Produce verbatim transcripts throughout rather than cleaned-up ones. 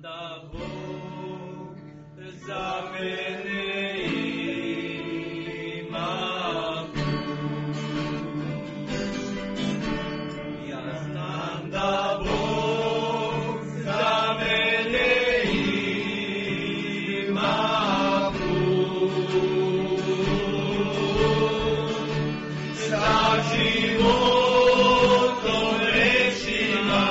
da Bog za mene ima put. Ja znam da Bog za mene ima put. Sa životom rečima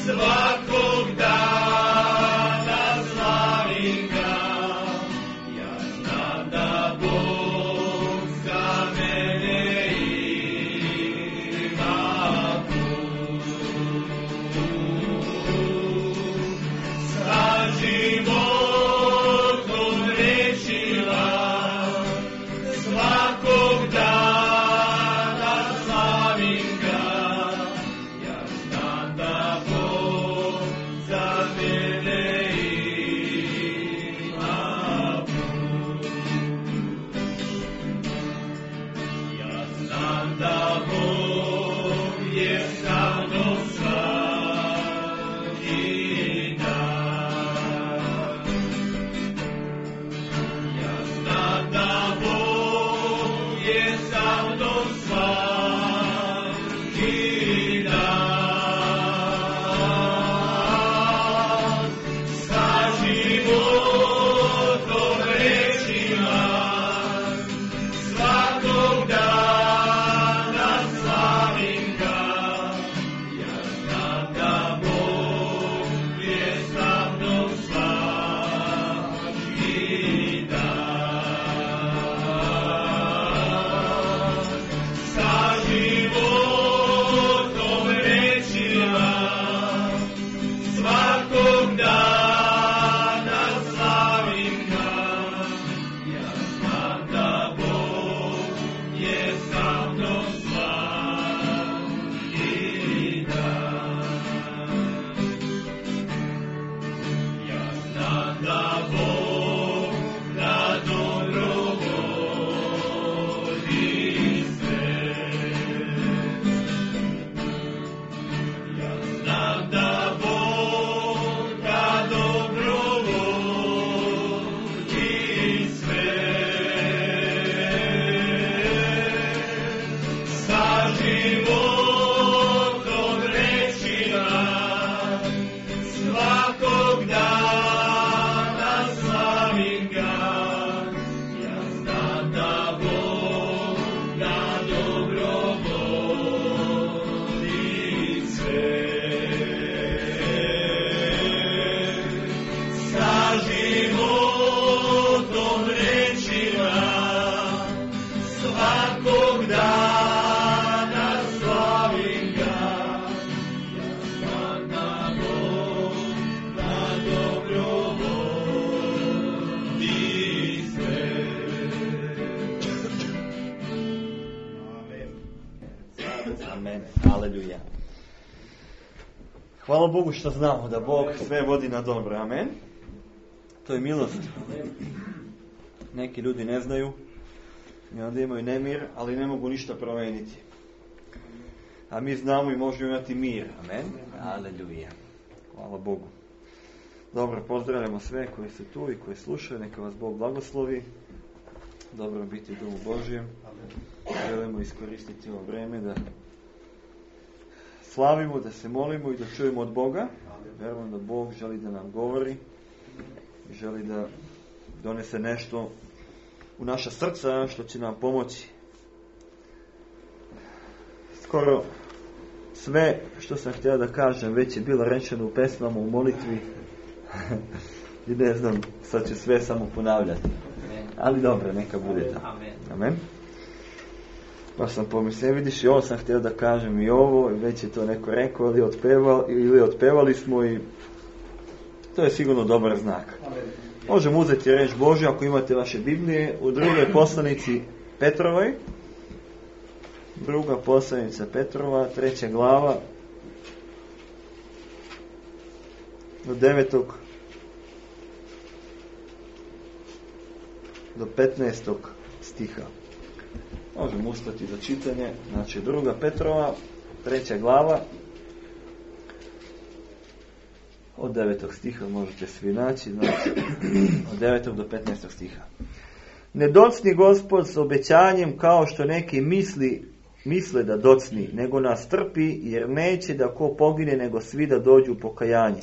svakog dana slavim ga. Ja znam da Bog za mene ima put. Sa životom rečima svakog dana slavim ga. Ja znam da Bog za mene ima put. Ja znam da Bog je sa mnom svaki dan. Ja znam da Bog je sa mnom svaki dan. Sa životom rečima svakog dana slavim ga. Ja znam da Bog je sa mnom svaki dan. Sa životom rečima svakog dana slavim ga. Ja znam da Bog je sa mnom svaki dan. Ja znam da Bog na dobro vodi sve. Ja znam da Bog na dobro vodi sve. Sa životom rečima svakog dana slavim ga. Ja znam da Bog na dobro vodi sve. Sa životom rečima svakog dana slavim ga. Ja znam da Bog na dobro vodi sve. Amen. Aleluja. Hvala Bogu što znamo da Bog sve vodi na dobro. Amen. To je milost. Neki ljudi ne znaju i onda imaju nemir, ali ne mogu ništa promijeniti. A mi znamo i možemo imati mir. Amen. Aleluja. Hvala Bogu. Dobro, pozdravljamo sve koji su tu i koji slušaju. Neka vas Bog blagoslovi. Dobro biti u Domu Božjem. Želimo iskoristiti ovo vreme da slavimo, da se molimo i da čujemo od Boga. Vjerujem da Bog želi da nam govori i želi da donese nešto u naša srca što će nam pomoći. Skoro sve što sam htio da kažem već je bilo rečeno u pesmama, u molitvi. I ne znam, sad ću sve samo ponavljati. Ali dobro, neka bude tako. Amen. Pa sam pomislio, vidiš, i ovo sam htio da kažem i ovo, već je to neko rekao, ili otpevali, ili otpevali smo i to je sigurno dobar znak. Možemo uzeti reč Božju ako imate vaše Biblije u drugoj poslanici Petrovoj. Druga poslanica Petrova, treća glava, do devetog do petnaestog stiha. Možemo ustati za čitanje. Znači, druga Petrova, treća glava, od devetog stiha možete svi naći, znači od devetog do petnaestog stiha. Ne docni Gospod s obećanjem kao što neki misli, misle da docni, nego nas trpi, jer neće da ko pogine, nego svi da dođu u pokajanje.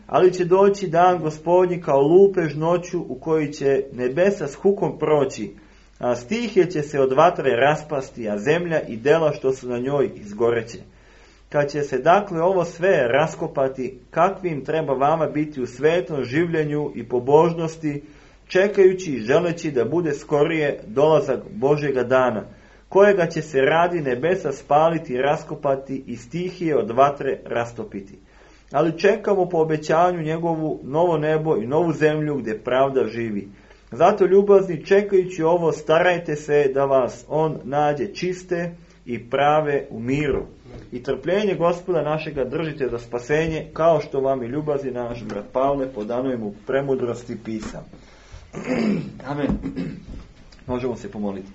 Ali će doći dan Gospodnji kao lupež noću, u kojoj će nebesa s hukom proći, a stihije će se od vatre raspasti, a zemlja i dela što su na njoj izgoreće. Kad će se dakle ovo sve raskopati, kakvim treba vama biti u svetom življenju i pobožnosti, čekajući i želeći da bude skorije dolazak Božjega dana, kojega će se radi nebesa spaliti i raskopati i stihije od vatre rastopiti. Ali čekamo po obećanju njegovu novo nebo i novu zemlju gdje pravda živi. Zato, ljubazni, čekajući ovo, starajte se da vas on nađe čiste i prave u miru. I trpljenje Gospoda našega držite za spasenje, kao što vam i ljubazni naš brat Pavle podanuje mu premudrosti pisam. Amen. Možemo se pomoliti.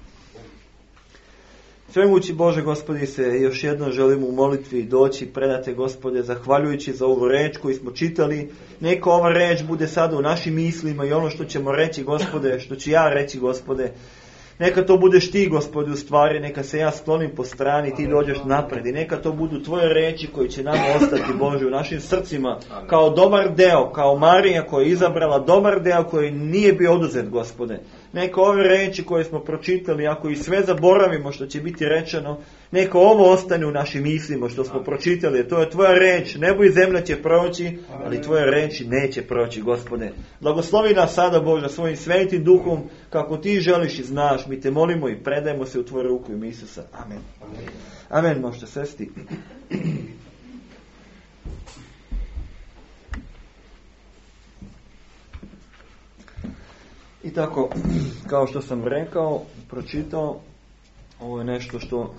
Svemogući Bože, Gospodi, se još jednom želimo u molitvi doći, predate, Gospode, zahvaljujući za ovu reč koju smo čitali. Neka ova reč bude sada u našim mislima i ono što ćemo reći, Gospode, što ću ja reći, Gospode, neka to budeš ti, Gospode, u stvari, neka se ja sklonim po strani, ti dođeš napred i neka to budu tvoje reči koji će nama ostati, Bože, u našim srcima, kao dobar deo, kao Marija koja je izabrala dobar deo koji nije bio oduzet, Gospode. Neka ove reči koje smo pročitali, ako i sve zaboravimo što će biti rečeno, neka ovo ostane u našim mislima što smo pročitali. To je tvoja reč, nebo i zemlja će proći, ali tvoje reči neće proći, Gospode. Blagoslovi nas sada, Bože, svojim svetim duhom, kako ti želiš i znaš. Mi te molimo i predajemo se u tvoju ruku ime Isusa. Amen. Amen. Možete sesti. I tako, kao što sam rekao, pročitao, ovo je nešto što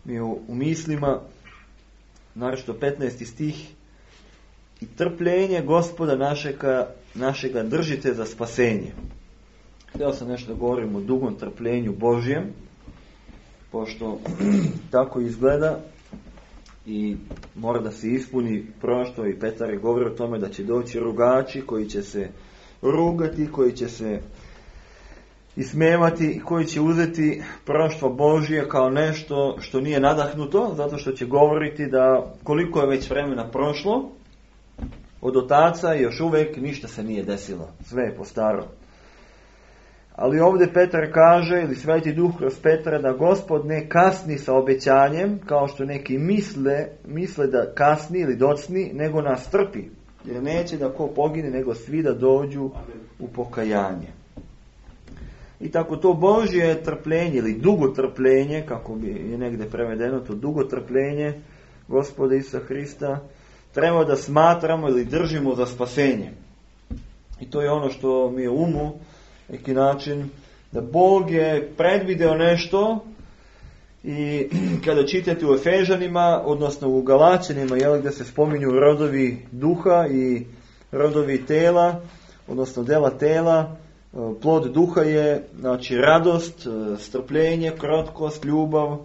mi je u, u mislima, naročito petnaesti stih. I trpljenje Gospoda našega, našega držite za spasenje. Htio sam nešto da govorim o dugom trpljenju Božjem, pošto tako izgleda i mora da se ispuni prošto, i Petar je govorio o tome da će doći rugači koji će se rugati, koji će se ismevati i koji će uzeti proštvo Božje kao nešto što nije nadahnuto, zato što će govoriti da koliko je već vremena prošlo od otaca i još uvijek ništa se nije desilo, sve je po staro. Ali ovdje Petar kaže, ili Sveti Duh kroz Petra, da Gospod ne kasni sa obećanjem, kao što neki misle, misle da kasni ili docni, nego nas trpi. Jer neće da ko pogine, nego svi da dođu u pokajanje. I tako to Božje trpljenje, ili dugo trpljenje, kako bi je negdje prevedeno, to dugo trpljenje Gospoda Isusa Hrista, treba da smatramo ili držimo za spasenje. I to je ono što mi je u umu, neki način, da Bog je predvideo nešto. I kada čitate u Efežanima, odnosno u Galačanima, jel, gdje se spominju rodovi duha i rodovi tela, odnosno dela tela, plod duha je, znači, radost, strpljenje, krotkost, ljubav,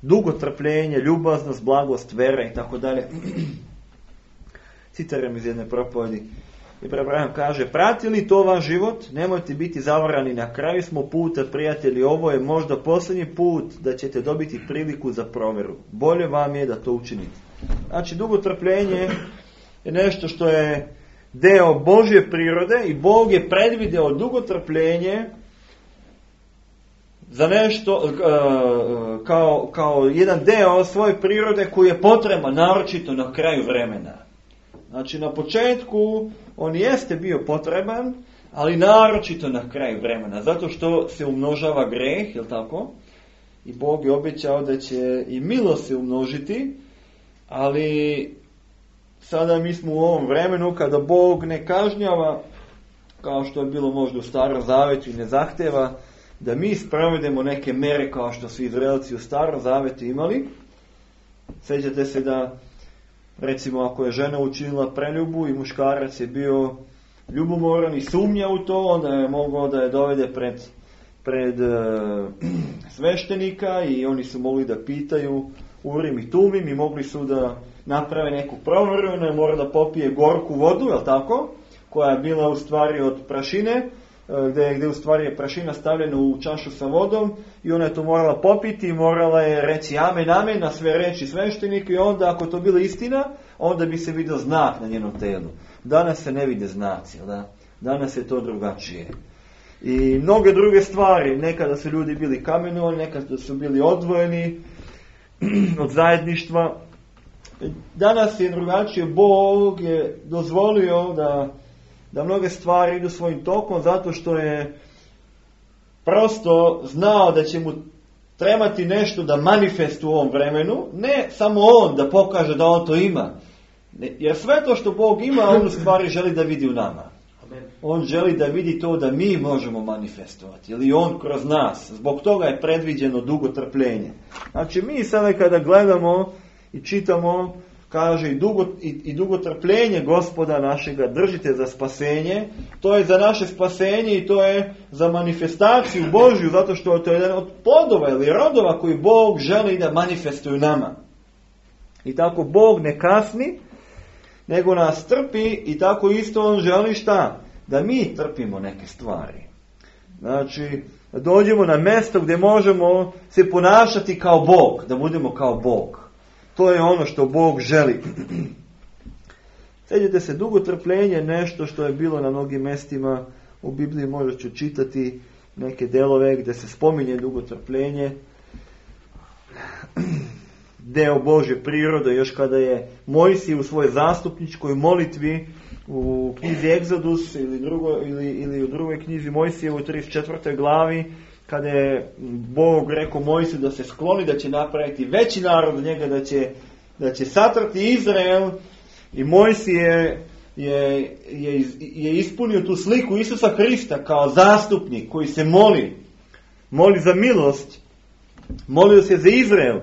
dugotrpljenje, ljubaznost, blagost, vera i tako dalje. Citiram iz jedne propovedi. I Abraham kaže, prati li to vaš život? Nemojte biti zavarani, na kraju smo puta, prijatelji, ovo je možda posljednji put da ćete dobiti priliku za provjeru. Bolje vam je da to učinite. Znači, dugotrpljenje je nešto što je deo Božje prirode i Bog je predvideo dugotrpljenje za nešto kao, kao jedan deo svoje prirode koji je potreban naročito na kraju vremena. Znači, na početku on jeste bio potreban, ali naročito na kraju vremena, zato što se umnožava greh, jel tako? I Bog je obećao da će i milost se umnožiti, ali sada mi smo u ovom vremenu kada Bog ne kažnjava, kao što je bilo možda u Starom Zavetu, i ne zahteva da mi sprovedemo neke mere kao što su Izraelci u Starom Zavetu imali. Sjećate se da, recimo, ako je žena učinila preljubu i muškarac je bio ljubomoran i sumnja u to, onda je mogao da je dovede pred, pred uh, sveštenika i oni su mogli da pitaju Urim i Tumim i mogli su da naprave neku proveru, ne mora da popije gorku vodu, je li tako? Koja je bila u stvari od prašine, gdje, gdje u stvari je prašina stavljena u čašu sa vodom i ona je to morala popiti i morala je reći amen, amen na sve reči sveštenika i onda ako to bila istina, onda bi se vidio znak na njenom telu. Danas se ne vide znaci, da? Danas je to drugačije. I mnoge druge stvari, nekada su ljudi bili kamenovani, nekada su bili odvojeni od zajedništva. Danas je drugačije, Bog je dozvolio da da mnoge stvari idu svojim tokom zato što je prosto znao da će mu trebati nešto da manifestuje u ovom vremenu, ne samo on da pokaže da on to ima, jer sve to što Bog ima, on u stvari želi da vidi u nama. On želi da vidi to da mi možemo manifestovati, ili on kroz nas. Zbog toga je predviđeno dugo trpljenje. Znači mi sada kada gledamo i čitamo, kaže i dugo, i, i dugo trpljenje Gospoda našega držite za spasenje, to je za naše spasenje i to je za manifestaciju Božju, zato što to je jedan od plodova ili rodova koji Bog želi da manifestuju nama. I tako Bog ne kasni, nego nas trpi i tako isto on želi šta? Da mi trpimo neke stvari. Znači, da dođemo na mjesto gdje možemo se ponašati kao Bog, da budemo kao Bog. To je ono što Bog želi. Sjećate se, dugo trpljenje je nešto što je bilo na mnogim mjestima u Bibliji, možda ću čitati neke delove gdje se spominje dugo trpljenje. Deo Božje prirode, još kada je Mojsije u svojoj zastupničkoj molitvi u knjizi Egzodus ili, drugo, ili, ili u drugoj knjizi Mojsije u trideset četvrtoj glavi, kada je Bog rekao Mojsiju da se skloni, da će napraviti veći narod od njega, da će, da će satrati Izrael, i Mojsije je, je, je ispunio tu sliku Isusa Hrista kao zastupnik koji se moli, moli za milost, molio se za Izrael.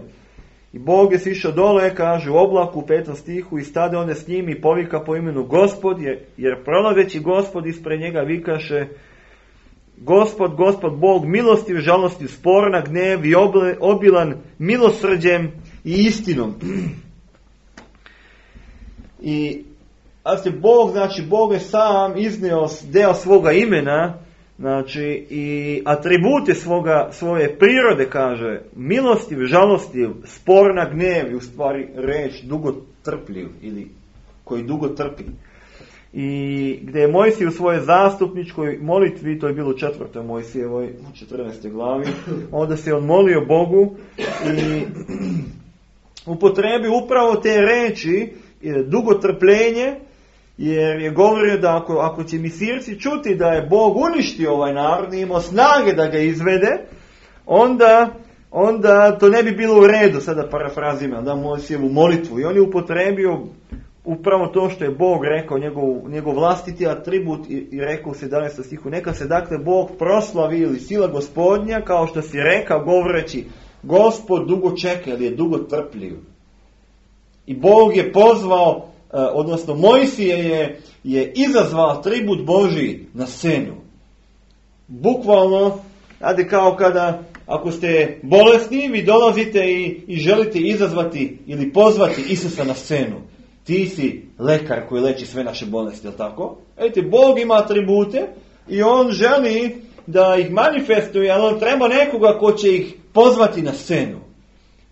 I Bog je sišao dole, kaže u oblaku u petom stihu, i stade one s njim i povika po imenu Gospod, jer, jer prolazeći Gospod ispred njega vikaše Gospod, Gospod Bog, milostiv, žalostiv, sporan na gnev i obilan milosrđem i istinom. I a se Bog, znači Bog je sam iznio deo svoga imena, znači i atribute svoga, svoje prirode, kaže milostiv, žalostiv, spor na gnev, i u stvari reč dugo trpljiv ili koji dugo trpi. I gdje je Mojsije u svojoj zastupničkoj molitvi, to je bilo u četvrtoj Mojsijevoj, u četrnaestoj glavi, onda se on molio Bogu i upotrebi upravo te reči, dugo trpljenje, jer je govorio da ako, ako će Misirci čuti da je Bog uništio ovaj narod i imao snage da ga izvede, onda, onda to ne bi bilo u redu, sada parafrazima, da Mojsijevu molitvu. I on je upotrebio upravo to što je Bog rekao, njegov, njegov vlastiti atribut, i, i rekao u sedamnaestom stihu, neka se dakle Bog proslavi ili sila Gospodnja, kao što si rekao govoreći, Gospod dugo čeka, ili je dugo trpljiv. I Bog je pozvao, odnosno Mojsije je, je izazvao atribut Božji na scenu. Bukvalno, znate, kao kada, ako ste bolesni, vi dolazite i, i želite izazvati ili pozvati Isusa na scenu. Ti si lekar koji leči sve naše bolesti, je li tako? Ejte, Bog ima atribute i on želi da ih manifestuje, ali on treba nekoga ko će ih pozvati na scenu,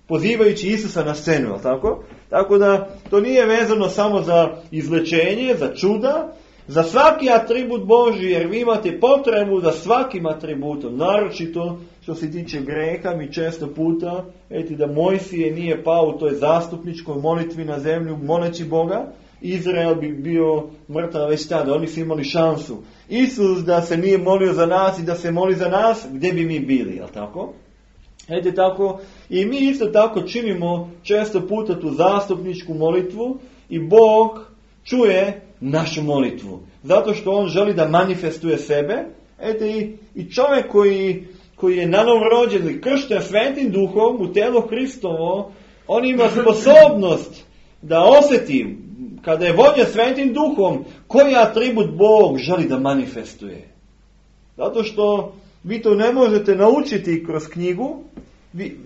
pozivajući Isusa na scenu, je li tako? Tako da to nije vezano samo za izlečenje, za čuda, za svaki atribut Božji, jer vi imate potrebu za svakim atributom, naročito što se tiče greha. Mi često puta, eti da Mojsije nije pao u toj zastupničkoj molitvi na zemlju moleći Boga, Izrael bi bio mrtav već tada, oni su imali šansu. Isus da se nije molio za nas i da se moli za nas, gdje bi mi bili, jel tako? Ete tako, i mi isto tako činimo često puta tu zastupničku molitvu i Bog čuje našu molitvu. Zato što on želi da manifestuje sebe. Ete i, i čovjek koji, koji je nanovo rođen ili kršten Svetim Duhom u telo Hristovo, on ima sposobnost da osjeti, kada je vođen Svetim Duhom, koji atribut Bog želi da manifestuje. Zato što vi to ne možete naučiti kroz knjigu, vi,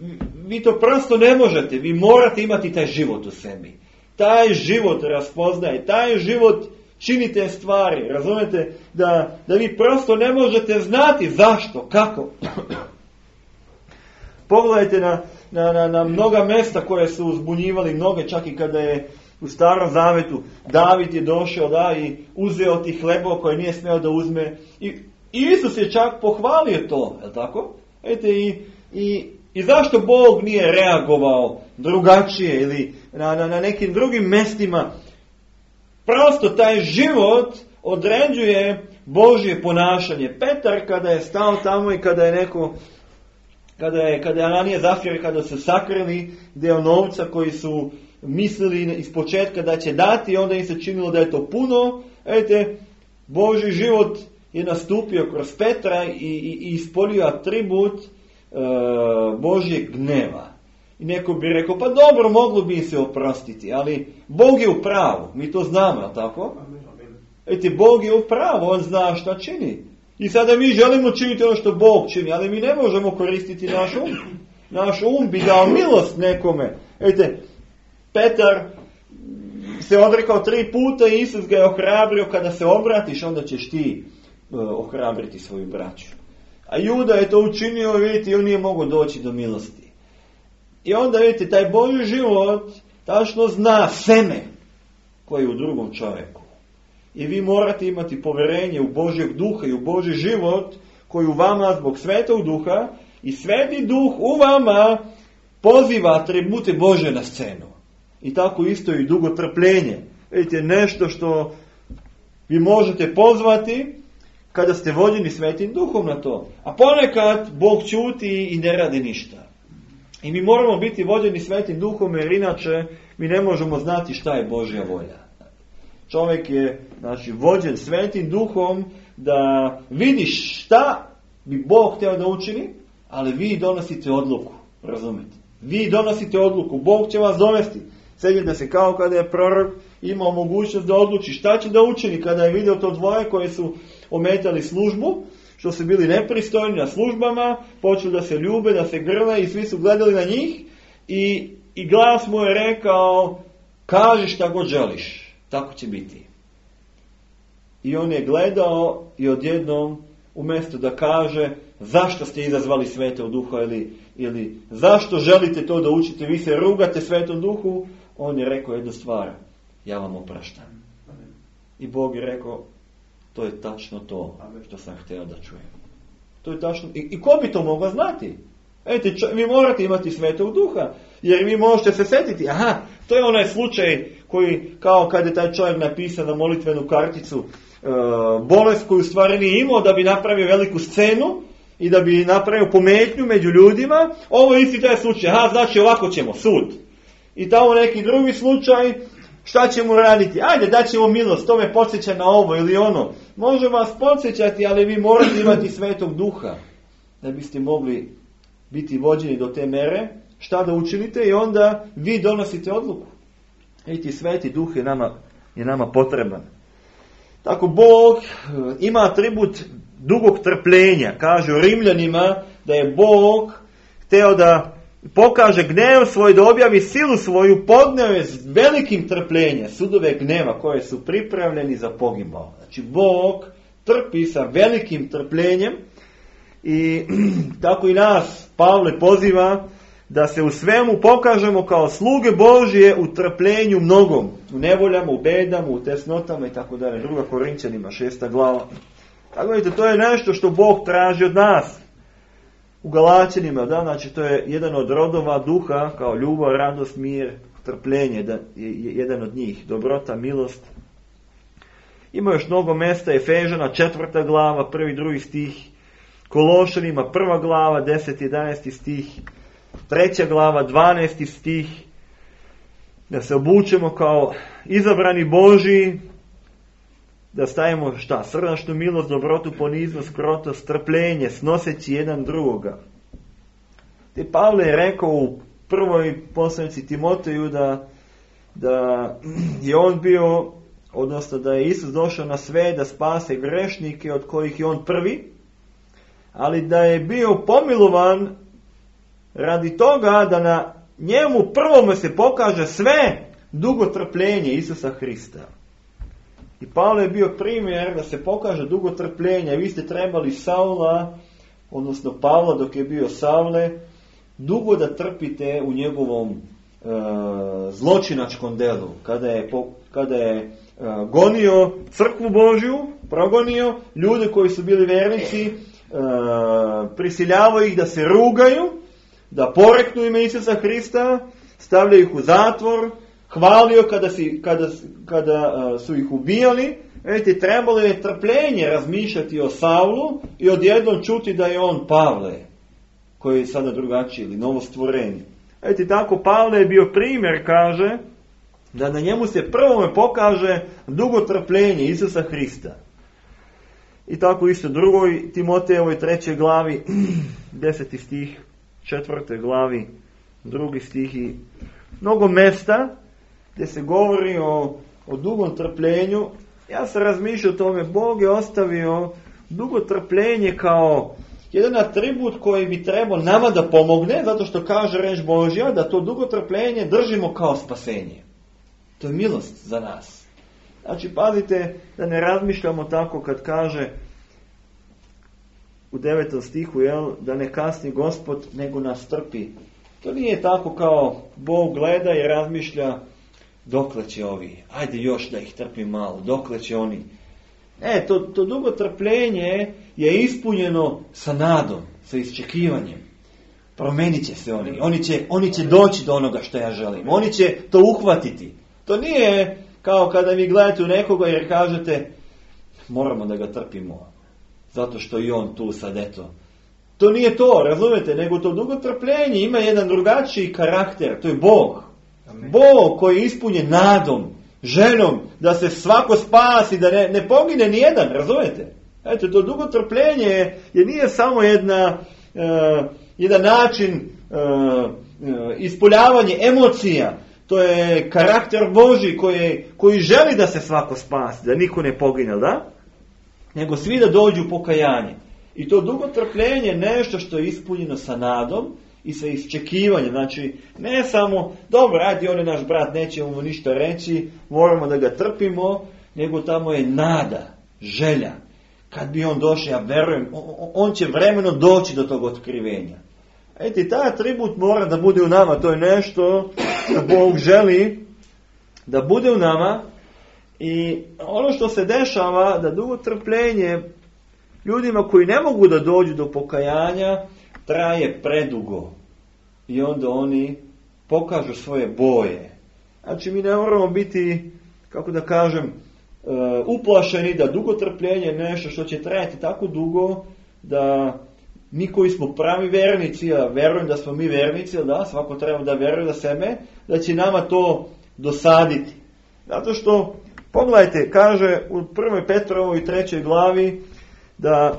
vi to prosto ne možete, vi morate imati taj život u sebi. Taj život raspoznaje, taj život čini te stvari, razumete, da, da vi prosto ne možete znati zašto, kako. Pogledajte na, na, na, na mnoga mjesta koje su uzbunjivali mnoge, čak i kada je u Starom Zavetu David je došao da i uzeo ti hlebova koje nije smeo da uzme. I Isus je čak pohvalio to, je li tako? Ete, i, i, i zašto Bog nije reagovao drugačije ili na, na, na nekim drugim mjestima? Prosto taj život određuje Božje ponašanje. Petar kada je stao tamo i kada je neko, kada je, kada je Ananija Zafira, kada su sakrili deo novca koji su mislili iz početka da će dati, onda im se činilo da je to puno. Ete, Božji život je nastupio kroz Petra i, i, i ispolio atribut e, Božjeg gneva. I neko bi rekao, pa dobro, moglo bi se oprostiti, ali Bog je u pravu, mi to znamo, tako? Ete, Bog je u pravu, on zna šta čini. I sada mi želimo činiti ono što Bog čini, ali mi ne možemo koristiti naš um. Naš um bi dao milost nekome. Ete, Petar se odrekao tri puta i Isus ga je ohrabrio, kada se obratiš, onda ćeš ti uh, ohrabriti svoju braću. A Juda je to učinio i vidite, on nije mogao doći do milosti. I onda vidite, taj Božji život tačno zna seme koje je u drugom čovjeku. I vi morate imati povjerenje u Božjeg duha i u Božji život koji u vama zbog Svetog duha i Sveti duh u vama poziva atribute Božje na scenu. I tako isto i dugotrpljenje. Vidite, nešto što vi možete pozvati kada ste vođeni Svetim duhom na to. A ponekad Bog ćuti i ne radi ništa. I mi moramo biti vođeni Svetim duhom, jer inače mi ne možemo znati šta je Božja volja. Čovjek je, znači, vođen Svetim duhom da vidiš šta bi Bog htio da učini, ali vi donosite odluku, razumete? Vi donosite odluku, Bog će vas dovesti. Sjećate se kao kada je prorok imao mogućnost da odluči šta će da učini kada je vidio to dvoje koje su ometali službu, što su bili nepristojni na službama, počeli da se ljube, da se grle i svi su gledali na njih i, i glas mu je rekao, kaži šta god želiš, tako će biti. I on je gledao i odjednom, umjesto da kaže zašto ste izazvali Svetog duha ili, ili zašto želite to da učite, vi se rugate Svetom duhu, on je rekao jednu stvar, ja vam opraštam. I Bog je rekao, to je tačno to što sam htio da čujem. To je tačno. I, i ko bi to mogao znati? Ete, čo, vi morate imati Svetog duha, jer vi možete se sjetiti, aha, to je onaj slučaj koji, kao kad je taj čovjek napisao na molitvenu karticu, e, bolest koju stvari nije imao da bi napravio veliku scenu i da bi napravio pometnju među ljudima. Ovo je isti taj slučaj, aha, znači ovako ćemo, sud. I tamo neki drugi slučaj, šta ćemo raditi? Ajde, daćemo milost, to me podsjeća na ovo ili ono. Može vas podsjećati, ali vi morate imati Svetog duha da biste mogli biti vođeni do te mere, šta da učinite i onda vi donosite odluku. Eti, Sveti duh je nama, je nama potreban. Tako Bog ima atribut dugog trpljenja. Kaže u Rimljanima da je Bog hteo da pokaže gnev svoj, da objavi silu svoju, podneo je s velikim trpljenjem sudove gneva koje su pripravljeni za pogibao. Znači Bog trpi sa velikim trpljenjem i tako i nas Pavle poziva da se u svemu pokažemo kao sluge Božije u trpljenju mnogom, u nevoljama, u bedama, u tesnotama i tako dalje. Druga Korinćanima, šesta glava. Tako vidite, to je nešto što Bog traži od nas. U Galaćanima, da, znači to je jedan od rodova duha, kao ljubav, radost, mir, trpljenje, da, je jedan od njih, dobrota, milost. Ima još mnogo mjesta, Efežana, četvrta glava, prvi, drugi stih, Kološanima, prva glava, deset, jedanaesti stih, treća glava, dvanaesti stih, da se obučemo kao izabrani Božji, da stavimo šta? Srdačnu milost, dobrotu, poniznost, krotost, strpljenje, snoseći jedan drugoga. Te Pavle je rekao u prvoj poslanici Timoteju da, da je on bio, odnosno da je Isus došao na sve da spase grešnike od kojih je on prvi, ali da je bio pomilovan radi toga da na njemu prvome se pokaže sve dugotrpljenje Isusa Hrista. I Pavle je bio primjer da se pokaže dugotrpljenje. Vi ste trebali Saula, odnosno Pavla dok je bio Savle, dugo da trpite u njegovom e, zločinačkom delu. Kada je, po, kada je e, gonio crkvu Božju, progonio ljude koji su bili vernici, e, prisiljavao ih da se rugaju, da poreknu ime Isusa Hrista, stavljaju ih u zatvor, hvalio kada, si, kada, kada uh, su ih ubijali. Vidite, trebalo je trpljenje razmišljati o Saulu i odjednom čuti da je on Pavle, koji je sada drugačiji ili novo stvorenje. Vidite, tako Pavle je bio primjer, kaže, da na njemu se prvome pokaže dugo trpljenje Isusa Hrista. I tako isto drugoj Timotejevoj trećoj glavi, deseti stih, četvrtoj glavi, drugi stih i mnogo mesta gdje se govori o, o dugom trpljenju. Ja sam razmišljao o tome, Bog je ostavio dugo trpljenje kao jedan atribut koji bi trebao nama da pomogne, zato što kaže reč Božja da to dugo trpljenje držimo kao spasenje. To je milost za nas. Znači, pazite da ne razmišljamo tako kad kaže u devetom stihu, jel, da ne kasni Gospod, nego nas trpi. To nije tako kao Bog gleda i razmišlja dokle će ovi, ajde još da ih trpi malo, dokle će oni. E, to, to dugo trpljenje je ispunjeno sa nadom, sa iščekivanjem. Promenit će se oni, oni će, oni će doći do onoga što ja želim, oni će to uhvatiti. To nije kao kada vi gledate u nekoga jer kažete moramo da ga trpimo, zato što i on tu sad eto. To nije to, razumete, nego to dugo trpljenje ima jedan drugačiji karakter, to je Bog. Amen. Bog koji je ispunjen nadom, željom, da se svako spasi, da ne, ne pogine nijedan, razumete? Eto, to dugo trpljenje je nije samo jedna, uh, jedan način uh, uh, ispoljavanje emocija, to je karakter Božji koji, koji želi da se svako spasi, da niko ne pogine, da? Nego svi da dođu u pokajanje. I to dugo trpljenje je nešto što je ispunjeno sa nadom i sa iščekivanjem. Znači, ne samo, dobro, radi on je naš brat, nećemo mu ništa reći, moramo da ga trpimo, nego tamo je nada, želja. Kad bi on došao, ja verujem, on će vremeno doći do tog otkrivenja. Eti, taj atribut mora da bude u nama, to je nešto što Bog želi da bude u nama. I ono što se dešava, da dugo trpljenje ljudima koji ne mogu da dođu do pokajanja, traje predugo. I onda oni pokažu svoje boje. Znači, mi ne moramo biti, kako da kažem, uplašeni da dugo trpljenje je nešto što će trajati tako dugo da mi koji smo pravi vernici, a verujem da smo mi vernici, da, svako treba da veruje za sebe, da će nama to dosaditi. Zato što, pogledajte, kaže u prvoj Petrovoj trećoj glavi da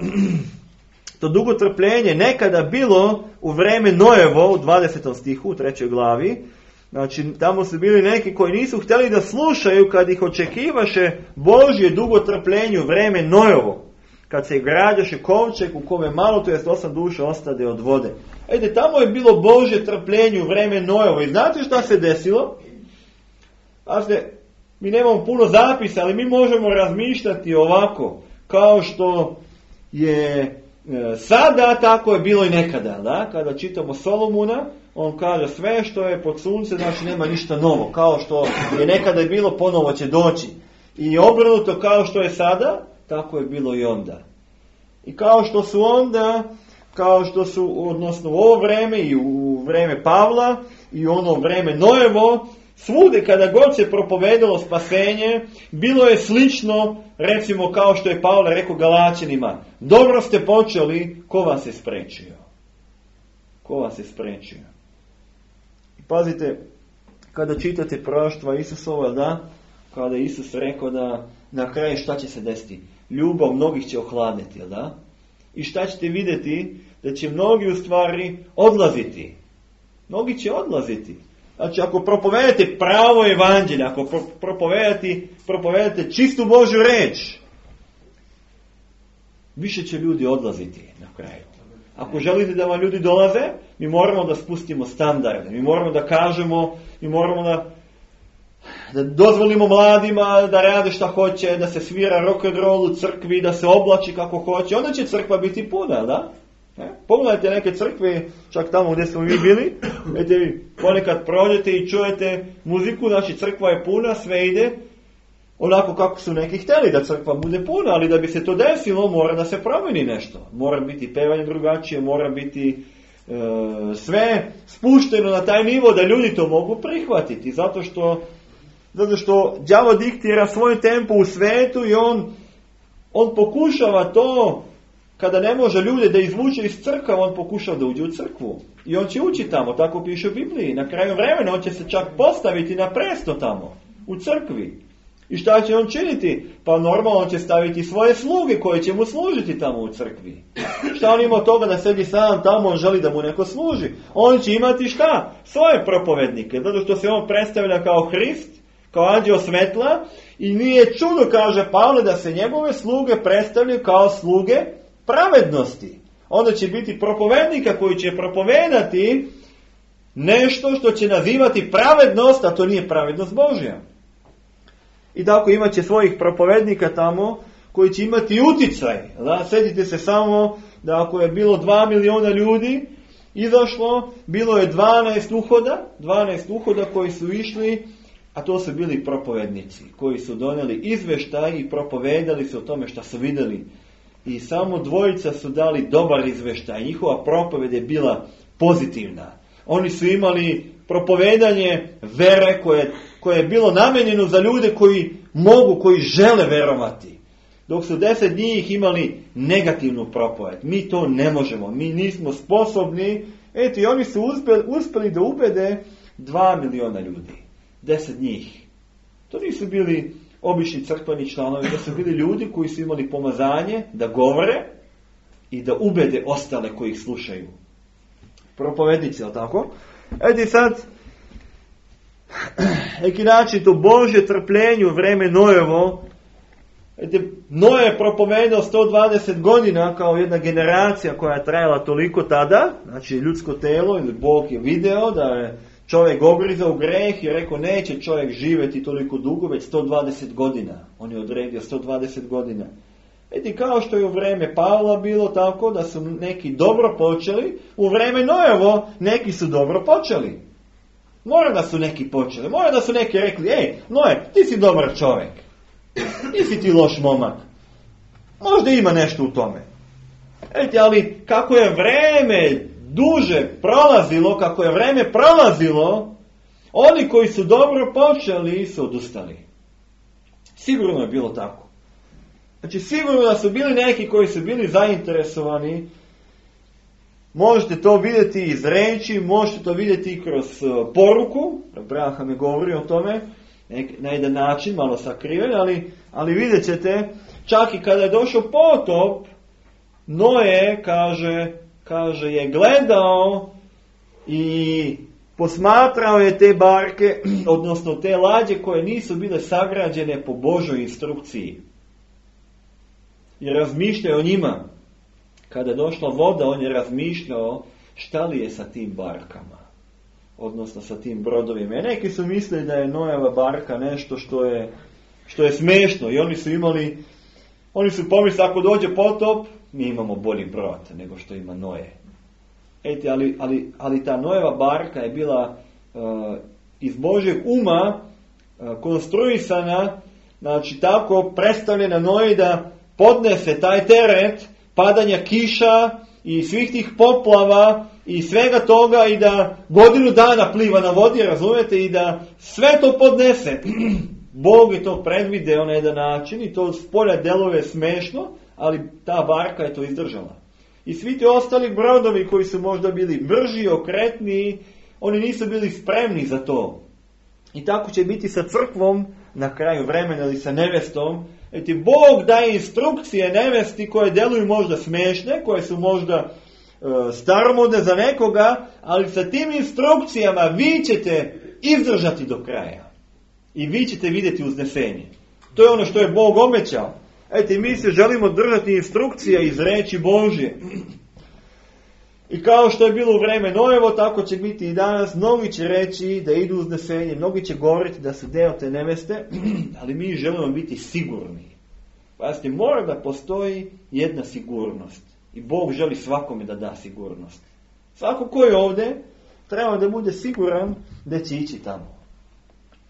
to dugo trpljenje nekada bilo u vreme Nojevo, u dvadesetom stihu, u trećoj glavi. Znači, tamo su bili neki koji nisu htjeli da slušaju kad ih očekivaše Božje dugo trpljenje u vreme Nojevo. Kad se građaše kovčeg u kome malo, to jest osam duša ostade od vode. Ejde, tamo je bilo Božje trpljenje u vreme Nojevo. I znate šta se desilo? Znate, mi nemamo puno zapisa, ali mi možemo razmišljati ovako, kao što je e, sada, tako je bilo i nekada. Da? Kada čitamo Solomuna, on kaže sve što je pod sunce, znači nema ništa novo. Kao što je nekada bilo, ponovo će doći. I obrnuto, kao što je sada, tako je bilo i onda. I kao što su onda, kao što su, odnosno u ovo vreme i u vreme Pavla i u ono vreme Nojevo, svude kada god se propovedalo spasenje, bilo je slično, recimo kao što je Pavle rekao Galaćanima, dobro ste počeli, ko vas je sprečio? Ko vas je sprečio? I pazite, kada čitate proroštva Isusova, da, kada je Isus rekao da na kraju šta će se desiti? Ljubav mnogih će ohladiti, jel da? I šta ćete vidjeti? Da će mnogi u stvari odlaziti. Mnogi će odlaziti. Znači, ako propovedate pravo evanđelje, ako propovedate, propovedate čistu Božju reč, više će ljudi odlaziti na kraju. Ako želite da vam ljudi dolaze, mi moramo da spustimo standarde, mi moramo da kažemo, mi moramo da, da dozvolimo mladima da rade šta hoće, da se svira rock and roll u crkvi, da se oblači kako hoće, onda će crkva biti puna, da? E? Pogledajte neke crkve, čak tamo gdje smo mi bili, vidite vi, ponekad prođete i čujete muziku, znači crkva je puna, sve ide onako kako su neki htjeli da crkva bude puna, ali da bi se to desilo mora da se promijeni nešto. Mora biti pevanje drugačije, mora biti e, sve spušteno na taj nivo da ljudi to mogu prihvatiti. Zato što, zato što đavo diktira svoj tempo u svetu i on, on pokušava to, kada ne može ljude da izvuče iz crkva, on pokušava da uđe u crkvu. I on će ući tamo, tako piše u Bibliji. Na kraju vremena on će se čak postaviti na presto tamo, u crkvi. I šta će on činiti? Pa normalno on će staviti svoje sluge koje će mu služiti tamo u crkvi. Šta on ima od toga da sedi sam tamo, on želi da mu neko služi? On će imati šta? Svoje propovednike. Zato što se on predstavlja kao Hrist, kao anđeo svetla i nije čudo, kaže Pavle, da se njegove sluge predstavljaju kao sluge pravednosti. Onda će biti propovednika koji će propovedati nešto što će nazivati pravednost, a to nije pravednost Božja. I tako imat će svojih propovednika tamo koji će imati uticaj. Da? Sjetite se samo da ako je bilo dva miliona ljudi izašlo, bilo je dvanaest uhoda, dvanaest uhoda koji su išli, a to su bili propovednici koji su donijeli izveštaj i propovedali su o tome što su vidjeli. I samo dvojica su dali dobar izveštaj. Njihova propoved je bila pozitivna. Oni su imali propovedanje vere koje, koje je bilo namijenjeno za ljude koji mogu, koji žele verovati. Dok su deset njih imali negativnu propoved. Mi to ne možemo, mi nismo sposobni. Eto, i oni su uspjeli, uspjeli da ubede dva miliona ljudi. Deset njih. To nisu bili obični crkveni članovi, da su bili ljudi koji su imali pomazanje da govore i da ubede ostale koji ih slušaju. Propovednici, ali tako? Eto sad, neki način to Božje trpljenje u vreme Nojevo, eto, Noje je propovedao sto dvadeset godina kao jedna generacija koja je trajala toliko tada, znači ljudsko telo, ili Bog je video da je čovjek ogrizao u greh i rekao neće čovjek živjeti toliko dugo, već sto dvadeset godina. On je odredio sto dvadeset godina. Eti kao što je u vreme Pavla bilo tako da su neki dobro počeli, u vreme Nojevo neki su dobro počeli. Mora da su neki počeli, mora da su neki rekli, ej, Noje, ti si dobar čovjek, nisi ti loš momak, možda ima nešto u tome. Eti, ali kako je vreme duže prolazilo, kako je vreme prolazilo, oni koji su dobro počeli su odustali. Sigurno je bilo tako. Znači sigurno da su bili neki koji su bili zainteresovani. Možete to vidjeti iz reči, možete to vidjeti kroz poruku. Abraham je govorio o tome na jedan način, malo sakriven, ali, ali vidjet ćete, čak i kada je došao potop, Noje, kaže, kaže, je gledao i posmatrao je te barke, odnosno te lađe koje nisu bile sagrađene po Božoj instrukciji. I razmišljao o njima. Kada je došla voda, on je razmišljao šta li je sa tim barkama. Odnosno sa tim brodovima. I neki su mislili da je Nojeva barka nešto što je, što je smešno. I oni su imali, oni su pomislili ako dođe potop, mi imamo bolji brod nego što ima Noje. Eti, ali, ali, ali ta Nojeva barka je bila uh, iz Božjeg uma uh, konstruisana, znači tako predstavljena Noji da podnese taj teret padanja kiša i svih tih poplava i svega toga i da godinu dana pliva na vodi, razumijete, i da sve to podnese. Bog je to predvideo na jedan način i to s polja deluje smešno, ali ta barka je to izdržala. I svi ti ostali brodovi koji su možda bili brži, okretniji, oni nisu bili spremni za to. I tako će biti sa crkvom na kraju vremena ili sa nevestom. Eti Bog daje instrukcije nevesti koje deluju možda smešne, koje su možda e, staromodne za nekoga, ali sa tim instrukcijama vi ćete izdržati do kraja. I vi ćete vidjeti uznesenje. To je ono što je Bog obećao. Eti mi se želimo držati instrukcija iz reči Božje. I kao što je bilo u vreme Nojevo, tako će biti i danas. Mnogi će reći da idu uznesenje, mnogi će govoriti da su deo te neveste, ali mi želimo biti sigurni. Pazite, mora da postoji jedna sigurnost. I Bog želi svakome da da sigurnost. Svako ko je ovdje, treba da bude siguran da će ići tamo.